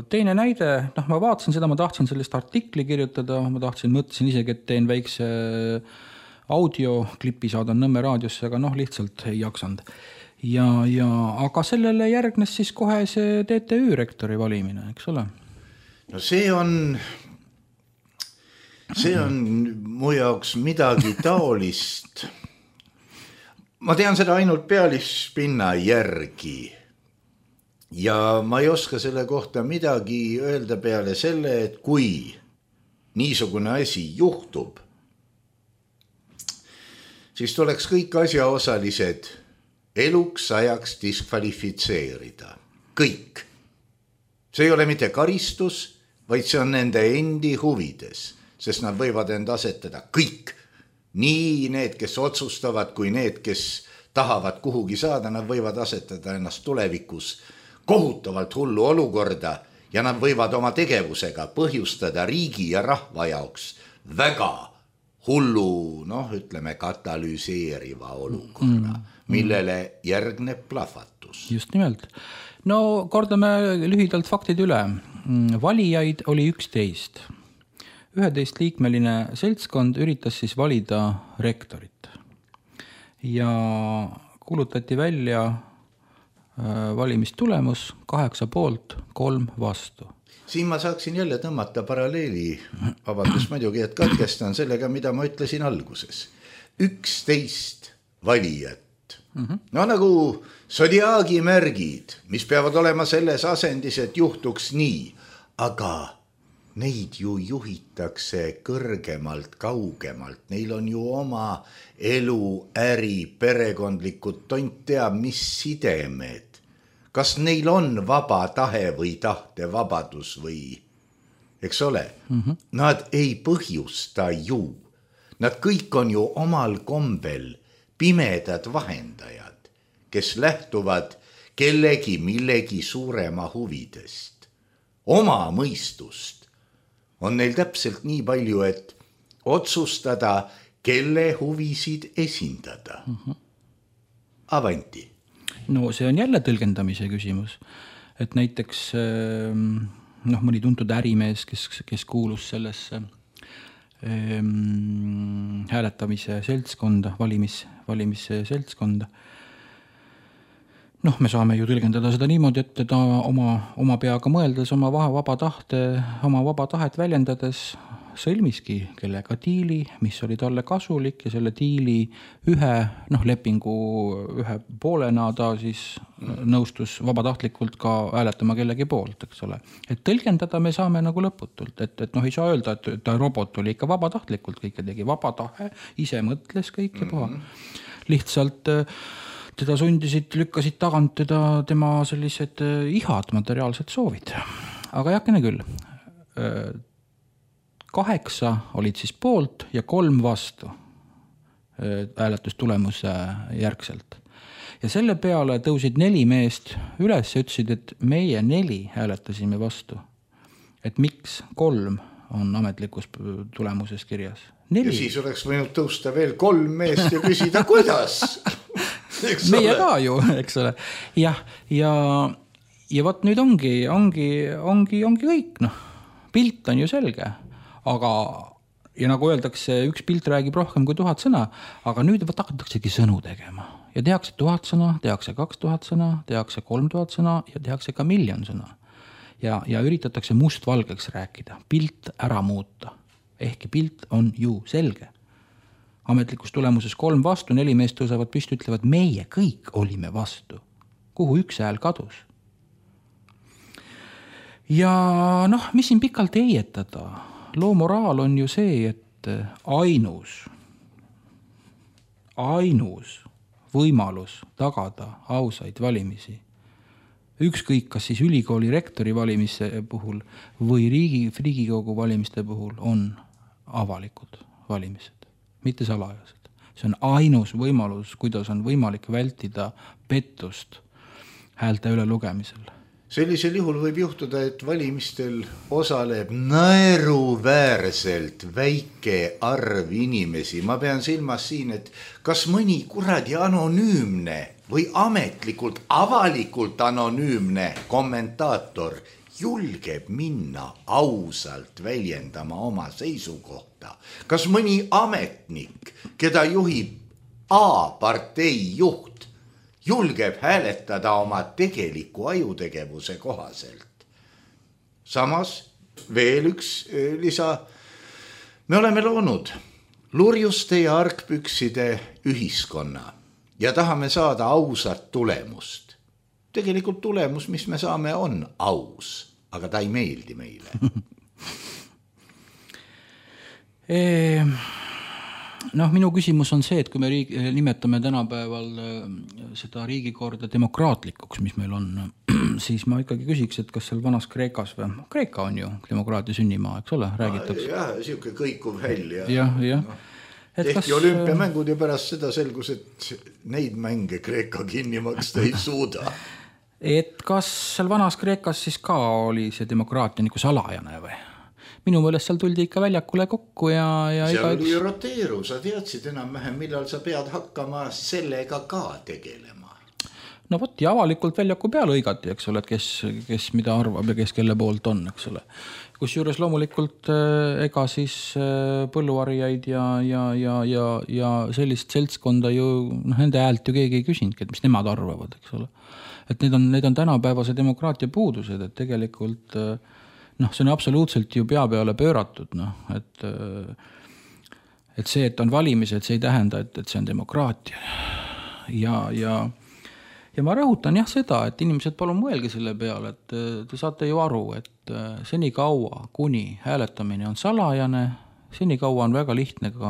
teine näide, ma vaatasin seda, ma tahtsin sellest artikli kirjutada, mõtlesin isegi, et teen väikse audioklipi, saadan Nõmme raadiosse, aga lihtsalt ei jaksanud. Aga sellele järgnes siis kohe see TTÜ rektori valimine, eks ole? No see on mu jaoks midagi taolist. Ma tean seda ainult pealispinna järgi ja ma ei oska selle kohta midagi öelda peale selle, et kui niisugune asi juhtub, siis tuleks kõik asjaosalised eluks ajaks diskvalifitseerida. Kõik. See ei ole mitte karistus, vaid see on nende endi huvides, sest nad võivad end asetada kõik. Nii need, kes otsustavad, kui need, kes tahavad kuhugi saada, nad võivad asetada ennast tulevikus kohutavalt hullu olukorda ja nad võivad oma tegevusega põhjustada riigi ja rahva jaoks väga hullu, ütleme, katalüseeriva olukorra, millele järgneb plahvatus. Just nimelt. No kordame lühidalt faktid üle. Valijaid oli 11. 11-liikmeline seltskond üritas siis valida rektorit. Ja kuulutati välja valimistulemus 8 poolt, 3 vastu. Siin ma saaksin jälle tõmmata paralleeli, vabandust muidugi, et katkestan sellega, mida ma ütlesin alguses. 11 valijat. No nagu Zodiaagi märgid, mis peavad olema selles asendis, et juhtuks nii, aga neid ju juhitakse kõrgemalt, kaugemalt. Neil on ju oma elu, äri, perekondlikud, tont teab, mis sidemed. Kas neil on vaba tahe või tahtevabadus või, eks ole? Nad ei põhjusta ju. Nad kõik on ju omal kombel pimedad vahendajad, kes lähtuvad kellegi millegi suurema huvidest. Oma mõistust on neil täpselt nii palju, et otsustada, kelle huvisid esindada. Avanti. No see on jälle tõlgendamise küsimus. Et näiteks mõni tuntud ärimees, kes kuulus sellesse hääletamise seltskonda, valimisseltskonda. Me saame ju tõlgendada seda niimoodi, et ta oma peaga mõeldes, oma vaba tahet väljendades sõlmiski kellega diili, mis oli talle kasulik ja selle diili lepingu ühe poolena ta siis nõustus vabatahtlikult ka hääletama kellegi poolt, eks ole. Et tõlgendada me saame nagu lõputult, et ei saa öelda, et ta robot oli ikka vabatahtlikult kõike tegi, vaba tahe, ise mõtles kõike puha. Lihtsalt teda sundisid, lükkasid tagant tema sellised ihad, materiaalsed soovid. Aga jakene küll. 8 olid siis poolt ja 3 vastu hääletustulemuse järgselt. Ja selle peale tõusid 4 meest üles ja ütlesid, et meie 4 hääletasime vastu. Et miks 3 on ametlikus tulemuses kirjas? 4. Ja siis oleks võinud tõusta veel 3 meest ja küsida, kuidas? Meie ka ju, eks ole. Ja võt nüüd ongi kõik, noh. Pilt on ju selge, aga ja nagu öeldakse, üks pilt räägib rohkem kui 1000 sõna, aga nüüd hakataksegi sõnu tegema. Ja tehakse 1000 sõna, tehakse 2000 sõna, tehakse 3000 sõna ja tehakse ka 1 000 000 sõna. Ja üritatakse mustvalgeks rääkida, pilt ära muuta. Ehkki pilt on ju selge. Ametlikus tulemuses 3 vastu, 4 meest tõusavad püsti, ütlevad, meie kõik olime vastu. Kuhu üks hääl kadus? Ja noh, mis siin pikalt eietada? Loo moraal on ju see, et ainus võimalus tagada ausaid valimisi. Ükskõik, kas siis ülikooli rektori valimise puhul või Riigikogu valimiste puhul on avalikud valimised, mitte salajased. See on ainus võimalus, kuidas on võimalik vältida pettust häälte üle lugemisel. Sellisel juhul võib juhtuda, et valimistel osaleb naeruväärselt väike arv inimesi. Ma pean silmas siin, et kas mõni kuradi anonüümne või ametlikult, avalikult anonüümne kommentaator julgeb minna ausalt väljendama oma seisukohta. Kas mõni ametnik, keda juhib A-partei juht, julgeb hääletada oma tegeliku ajutegevuse kohaselt. Samas veel üks lisa. Me oleme loonud lurjuste ja argpükside ühiskonna ja tahame saada ausat tulemust. Tegelikult tulemus, mis me saame, on aus, aga ta ei meeldi meile. Noh, minu küsimus on see, et kui me nimetame tänapäeval seda riigikorda demokraatlikuks, mis meil on, siis ma ikkagi küsiks, et kas seal vanas Kreekas või Kreeka on ju demokraatia sünnimaa, eks ole, räägitakse. Jah, siuke kõikuv häll. Jah. Tehti olümpiamängud ja pärast seda selgus, et neid mänge Kreeka kinni maksta ei suuda. Et kas seal vanas Kreekas siis ka oli see demokraatia nagu salajane või? Minu mõelest seal tuldi ikka väljakule kokku ja seal oli roteeru, sa teadsid enam-vähem, millal sa pead hakkama sellega ka tegelema. No võt, ja avalikult väljaku peale õigati, eks ole, et kes mida arvab ja kes kelle poolt on, eks ole. Kusjuures loomulikult ega siis põlluarijaid ja sellist seltskonda ju, nende häält ju keegi ei küsinudki, et mis nemad arvavad, eks ole. Et need on tänapäevase demokraatia puudused, et tegelikult see on absoluutselt ju pea peale pööratud, et see, et on valimised, see ei tähenda, et see on demokraatia. Ja ma rõhutan seda, et inimesed palun mõelge selle peale, et te saate ju aru, et seni kaua, kuni hääletamine on salajane, seni kaua on väga lihtne ka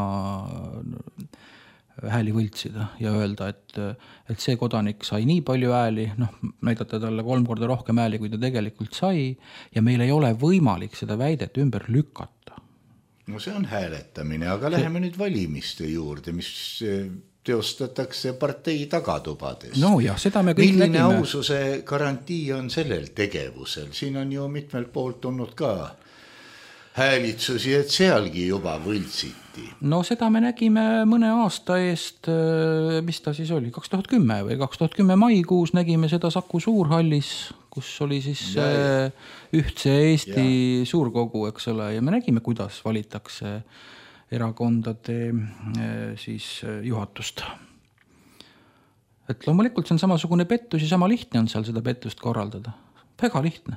hääli võltsida ja öelda, et see kodanik sai nii palju hääli, näidata talle 3 korda rohkem hääli, kui ta tegelikult sai, ja meil ei ole võimalik seda väidet ümber lükata. No see on hääletamine, aga läheme nüüd valimiste juurde, mis teostatakse partei tagatubades. No jah, seda me kõik milline nägime. Aususe garantii on sellel tegevusel? Siin on ju mitmelt poolt olnud ka häälitsusi, et sealgi juba võltsiti. No seda me nägime mõne aasta eest, mis ta siis oli, 2010 või 2010 maikuus nägime seda Saku Suurhallis, kus oli siis ühtse Eesti suurkogu, eks ole, ja me nägime, kuidas valitakse erakondade siis juhatust. Et loomulikult see on samasugune pettus ja sama lihtne on seal seda pettust korraldada. Väga lihtne.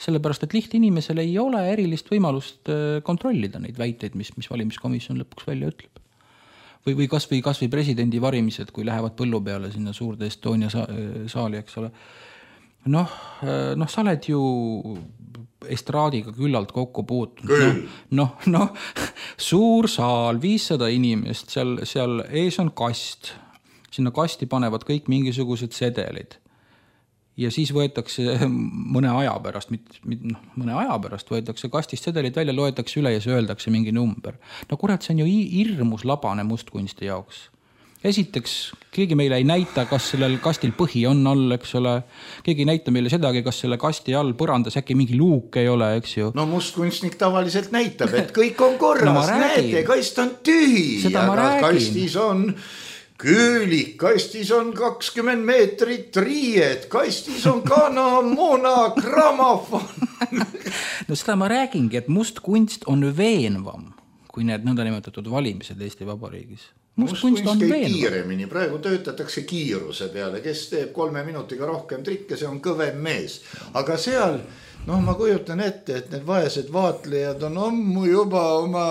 Sellepärast, et liht inimesel ei ole erilist võimalust kontrollida neid väiteid, mis valimiskomisjon lõpuks välja ütleb. Või kasvõi presidendi varimised, kui lähevad põllu peale sinna suurde Estonia saali, eks ole. Sa oled ju estraadiga küllalt kokku puutunud. Suur saal, 500 inimest, seal ees on kast. Sinna kasti panevad kõik mingisugused sedelid. ja siis võetakse mõne aja pärast, mõne aja pärast võetakse kastist sedelid välja, loetakse üle ja see öeldakse mingi number. No kurat, see on ju hirmus labane mustkunsti jaoks. Esiteks, keegi meile ei näita, kas sellel kastil põhi on all, eks ole. Keegi ei näita meile sedagi, kas selle kasti all põrandas äkki mingi luuk ei ole, eks ju. No mustkunstnik tavaliselt näitab, et kõik on korras, näete, kast on tühi, aga kastis on küülik, kastis on 20 meetrit riied, kastis on kanamuna, grammofon. No seda ma räägingi, et mustkunst on veenvam kui need nõndanimetatud valimised Eesti Vabariigis. Mustkunst käib kiiremini, praegu töötatakse kiiruse peale, kes teeb 3 minutiga rohkem trikke, see on kõvem mees. Aga seal, ma kujutan ette, et need vaesed vaatlejad on ammu juba oma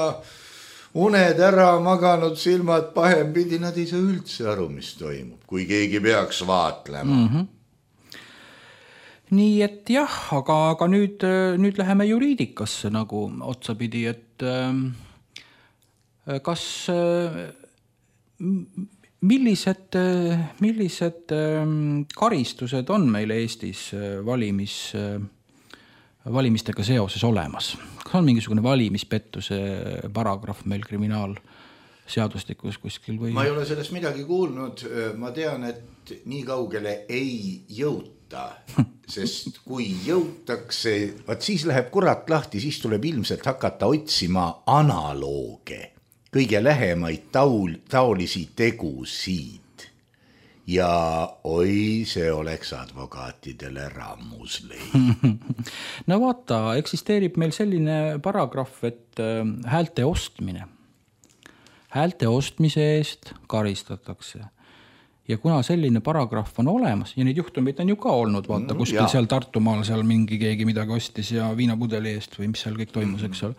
uned ära maganud, silmad pahempidi, nad ei saa üldse aru, mis toimub, kui keegi peaks vaatlema. Nii et jah, aga nüüd läheme juriidikasse nagu otsapidi, et kas millised karistused on meil Eestis valimistega seoses olemas? Kas on mingisugune valimispettuse paragrahv meil kriminaalseadustikus kuskil või? Ma ei ole sellest midagi kuulnud, ma tean, et nii kaugele ei jõuta, sest kui jõutakse, siis läheb kurat lahti, siis tuleb ilmselt hakata otsima analooge, kõige lähemaid taolisi tegusid. Ja oi, see oleks advokaatidele rammus leid. No vaata, eksisteerib meil selline paragrahv, et häälte ostmine. Häälte ostmise eest karistatakse. Ja kuna selline paragrahv on olemas, ja neid juhtumeid on ju ka olnud, vaata, kuskil seal Tartumaal seal mingi keegi midagi ostis ja viinapudeli eest või mis seal kõik toimus, eks ole.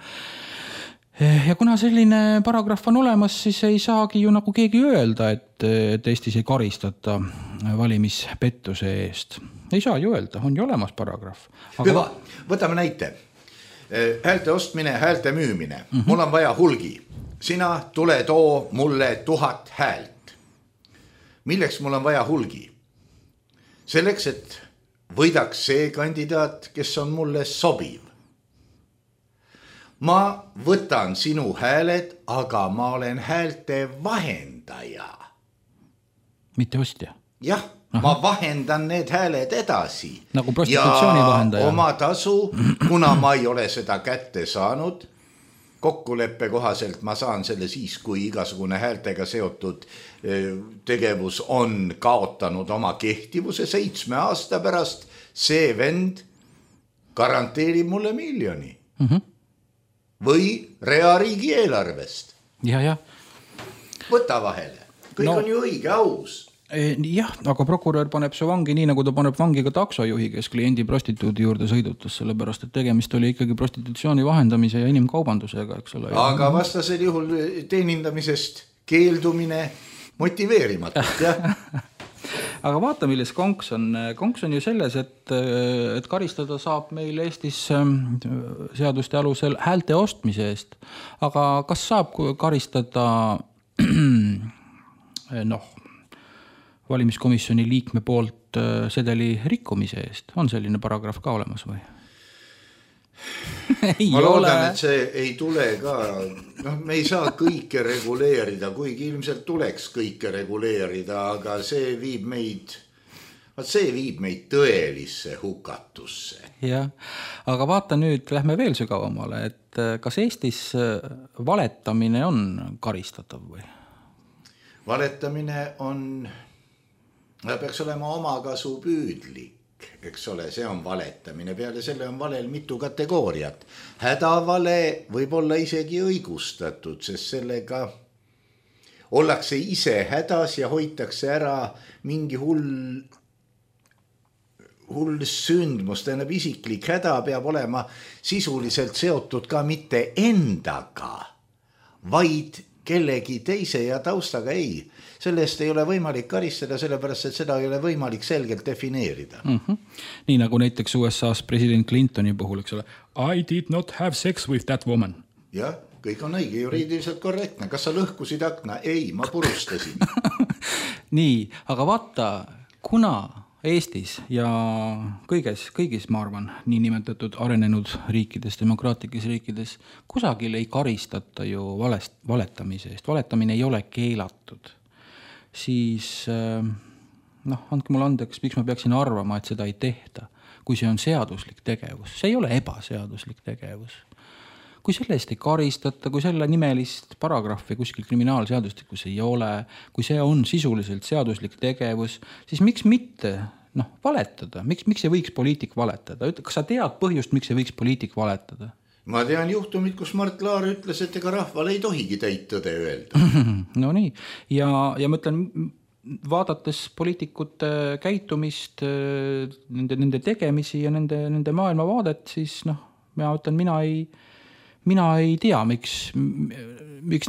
Ja kuna selline paragrahv on olemas, siis ei saagi ju nagu keegi öelda, et Eestis ei karistata valimispettuse eest. Ei saa ju öelda, on ju olemas paragrahv. Hüva, võtame näite. Häälte ostmine, häälte müümine. Mul on vaja hulgi. Sina tule too mulle 1000 häält. Milleks mul on vaja hulgi? Selleks, et võidaks see kandidaat, kes on mulle sobiv. Ma võtan sinu hääled, aga ma olen häälte vahendaja. Mitte ostja? Jah, ma vahendan need hääled edasi. Nagu prostitutsiooni vahendaja. Ja oma tasu, kuna ma ei ole seda kätte saanud, kokkuleppe kohaselt ma saan selle siis, kui igasugune häältega seotud tegevus on kaotanud oma kehtivuse 7 aasta pärast, see vend garanteerib mulle 1 000 000. Või reariigi eelarvest. Ja. Võta vahele. Kõik on ju õige, aus. Jah, aga prokurör paneb su vangi nii, nagu ta paneb vangi ka taksojuhi, kes kliendi prostituudi juurde sõidutas, sellepärast, et tegemist oli ikkagi prostitutsiooni vahendamise ja inimkaubandusega, eks ole. Aga vastasel juhul teenindamisest keeldumine motiveerimatult, jah. Aga vaata, milles konks on. Konks on ju selles, et karistada saab meil Eestis seaduste alusel häälte ostmise eest. Aga kas saab karistada valimiskomisjoni liikme poolt sedeli rikkumise eest? On selline paragrahv ka olemas või? Ma loodan, et see ei tule ka, me ei saa kõike reguleerida, kuigi ilmselt tuleks kõike reguleerida, aga see viib meid tõelisse hukatusse. Jah, aga vaata nüüd, lähme veel sügavamale, et kas Eestis valetamine on karistatav või? Valetamine peaks olema omakasu püüdlik. Eks ole, see on valetamine. Peale selle on valel mitu kategooriat. Hädavale võib olla isegi õigustatud, sest sellega ollakse ise hädas ja hoitakse ära mingi hull sündmus. Tähendab, isiklik häda peab olema sisuliselt seotud ka mitte endaga, vaid kellegi teise ja taustaga ei. Sellest ei ole võimalik karistada, sellepärast, et seda ei ole võimalik selgelt defineerida. Nii nagu näiteks USA's president Clintoni puhul, eks ole. I did not have sex with that woman. Jah, kõik on õige, juriidiliselt korrektne. Kas sa lõhkusid akna? Ei, ma purustasin. Nii, aga vaata, kuna Eestis ja kõigis, ma arvan, niinimetatud arenenud riikides, demokraatlikes riikides, kusagil ei karistata ju valetamise eest. Valetamine ei ole keelatud. Siis, andke mulle andeks, miks ma peaksin arvama, et seda ei tehta, kui see on seaduslik tegevus. See ei ole ebaseaduslik tegevus. Kui selle eest ei karistata, kui selle nimelist paragrahvi kuskil kriminaalseadustikus ei ole, kui see on sisuliselt seaduslik tegevus, siis miks mitte valetada? Miks ei võiks poliitik valetada? Kas sa tead põhjust, miks ei võiks poliitik valetada? Ma tean juhtumit, kus Mart Laar ütles, et ega rahval ei tohigi täit tõde öelda. No nii. Ja ma ütlen, vaadates poliitikute käitumist, nende tegemisi ja nende maailmavaadet, siis ma ütlen, mina ei tea, miks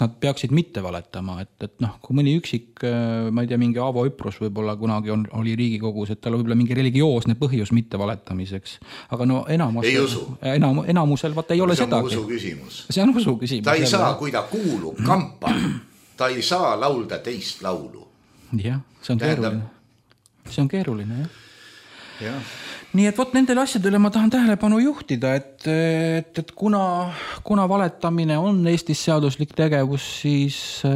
nad peaksid mitte valetama, et kui mõni üksik, ma ei tea, mingi Aavo Üprus võib-olla kunagi oli Riigikogus, et tal võib-olla mingi religioosne põhjus mitte valetamiseks, aga enamusel vaata ei ole sedagi. See on usu küsimus. Ta ei saa, kui ta kuulub kampa, ta ei saa laulda teist laulu. Jah, see on keeruline, jah. Nii et nendele asjadele ma tahan tähelepanu juhtida, et kuna valetamine on Eestis seaduslik tegevus, siis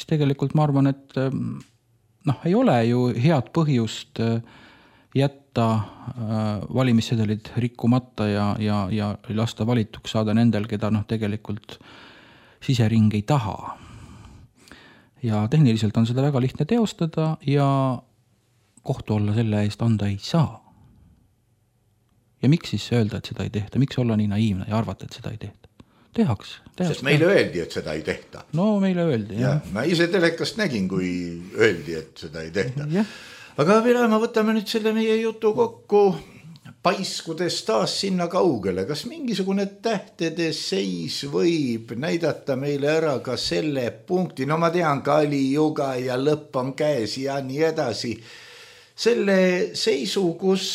tegelikult ma arvan, et ei ole ju head põhjust jätta valimissedelid rikkumata ja lasta valituks saada nendel, keda tegelikult sisering ei taha. Ja tehniliselt on seda väga lihtne teostada ja kohtu olla selle eest anda ei saa. Ja miks siis öelda, et seda ei tehta? Miks olla nii naiivne ja arvata, et seda ei tehta? Tehaks. Sest meile öeldi, et seda ei tehta. No meile öeldi, jah. Ma ise telekast nägin, kui öeldi, et seda ei tehta. Ja. Aga Vila, ma võtame nüüd selle meie jutu kokku paiskudes taas sinna kaugele. Kas mingisugune tähtede seis võib näidata meile ära ka selle punkti? No ma tean, Kali juga ja lõpp on käes ja nii edasi. Selle seisu, kus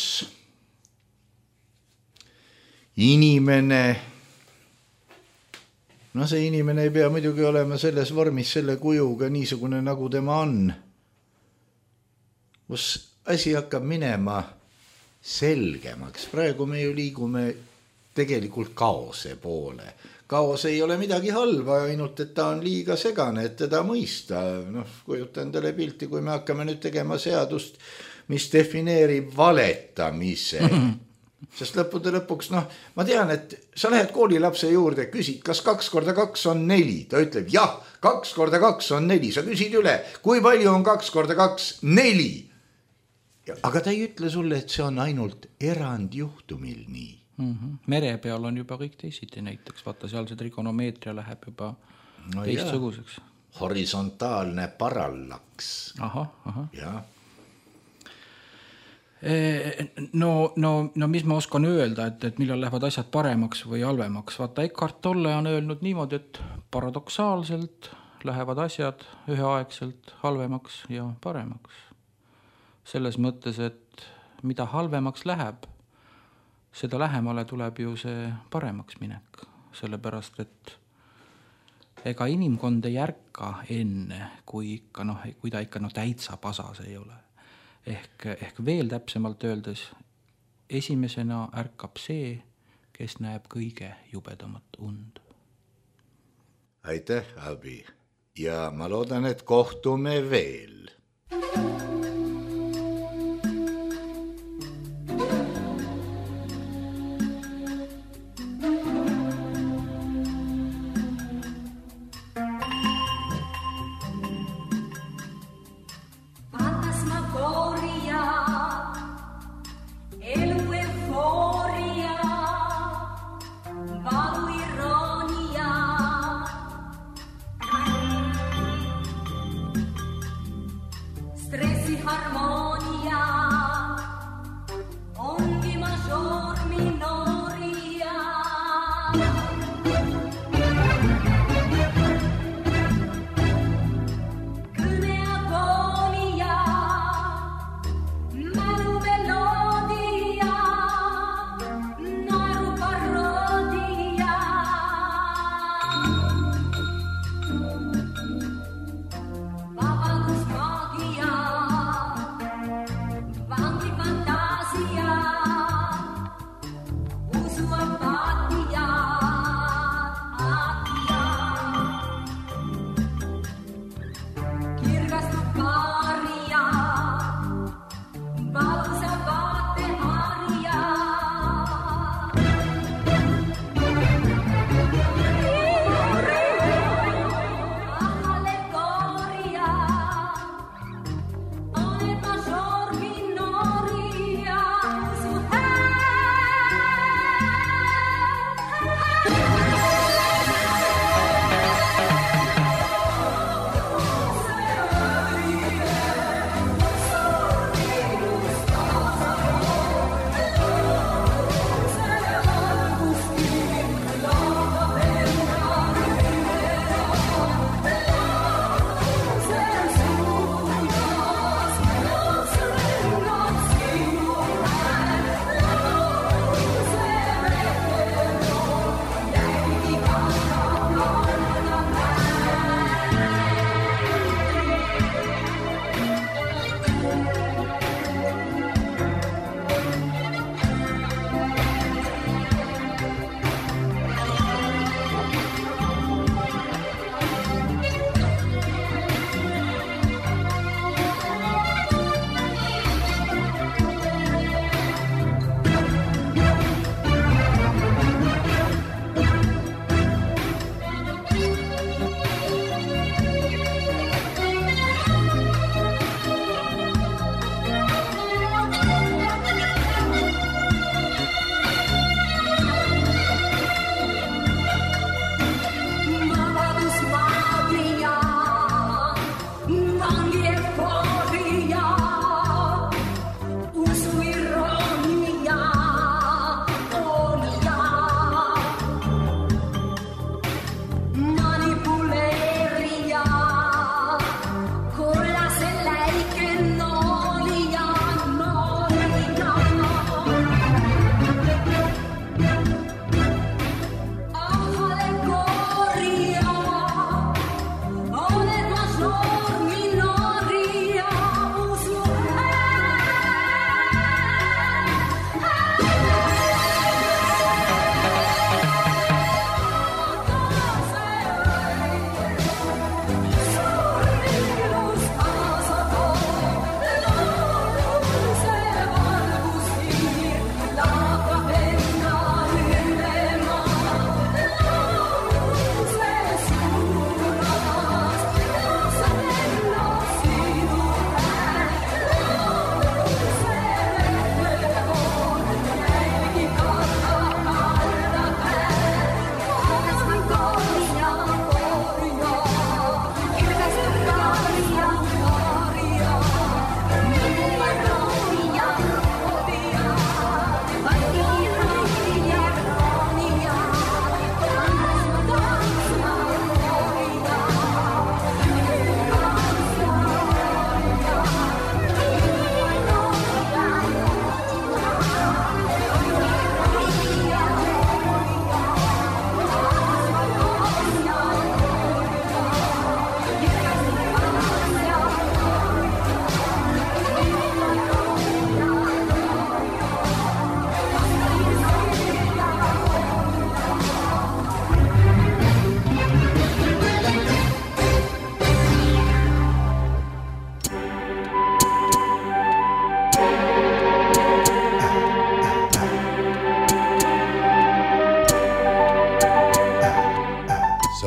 inimene, see inimene ei pea muidugi olema selles vormis selle kujuga niisugune, nagu tema on. Kus asi hakkab minema selgemaks. Praegu me ju liigume tegelikult kaose poole. Kaos ei ole midagi halba, ainult et ta on liiga segane, et teda mõista. Kujuta endale pilti, kui me hakkame nüüd tegema seadust, mis defineerib valetamise. Sest lõppude lõpuks, ma tean, et sa lähed koolilapse juurde, küsid, kas 2 × 2 on 4. Ta ütleb, jah, 2 × 2 on 4. Sa küsid üle, kui palju on 2 × 2? 4. Aga ta ei ütle sulle, et see on ainult erandjuhtumil nii. Mere peal on juba kõik teisiti näiteks. Vaata, seal see trigonomeetria läheb juba teistsuguseks. Horisontaalne parallaks. Aha. Jah. No mis ma oskan öelda, et millal lähevad asjad paremaks või halvemaks. Vaata, Eckhart Tolle on öelnud niimoodi, et paradoksaalselt lähevad asjad üheaegselt halvemaks ja paremaks. Selles mõttes, et mida halvemaks läheb, seda lähemale tuleb ju see paremaks minek. Sellepärast, et ega inimkond ei ärka enne, kui ta ikka täitsa pasas ei ole. Ehk veel täpsemalt öeldes, esimesena ärkab see, kes näeb kõige jubedamat und. Aitäh, Abi. Ja ma loodan, et kohtume veel.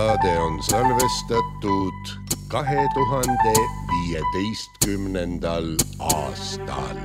Saade on salvestatud 2015. aastal.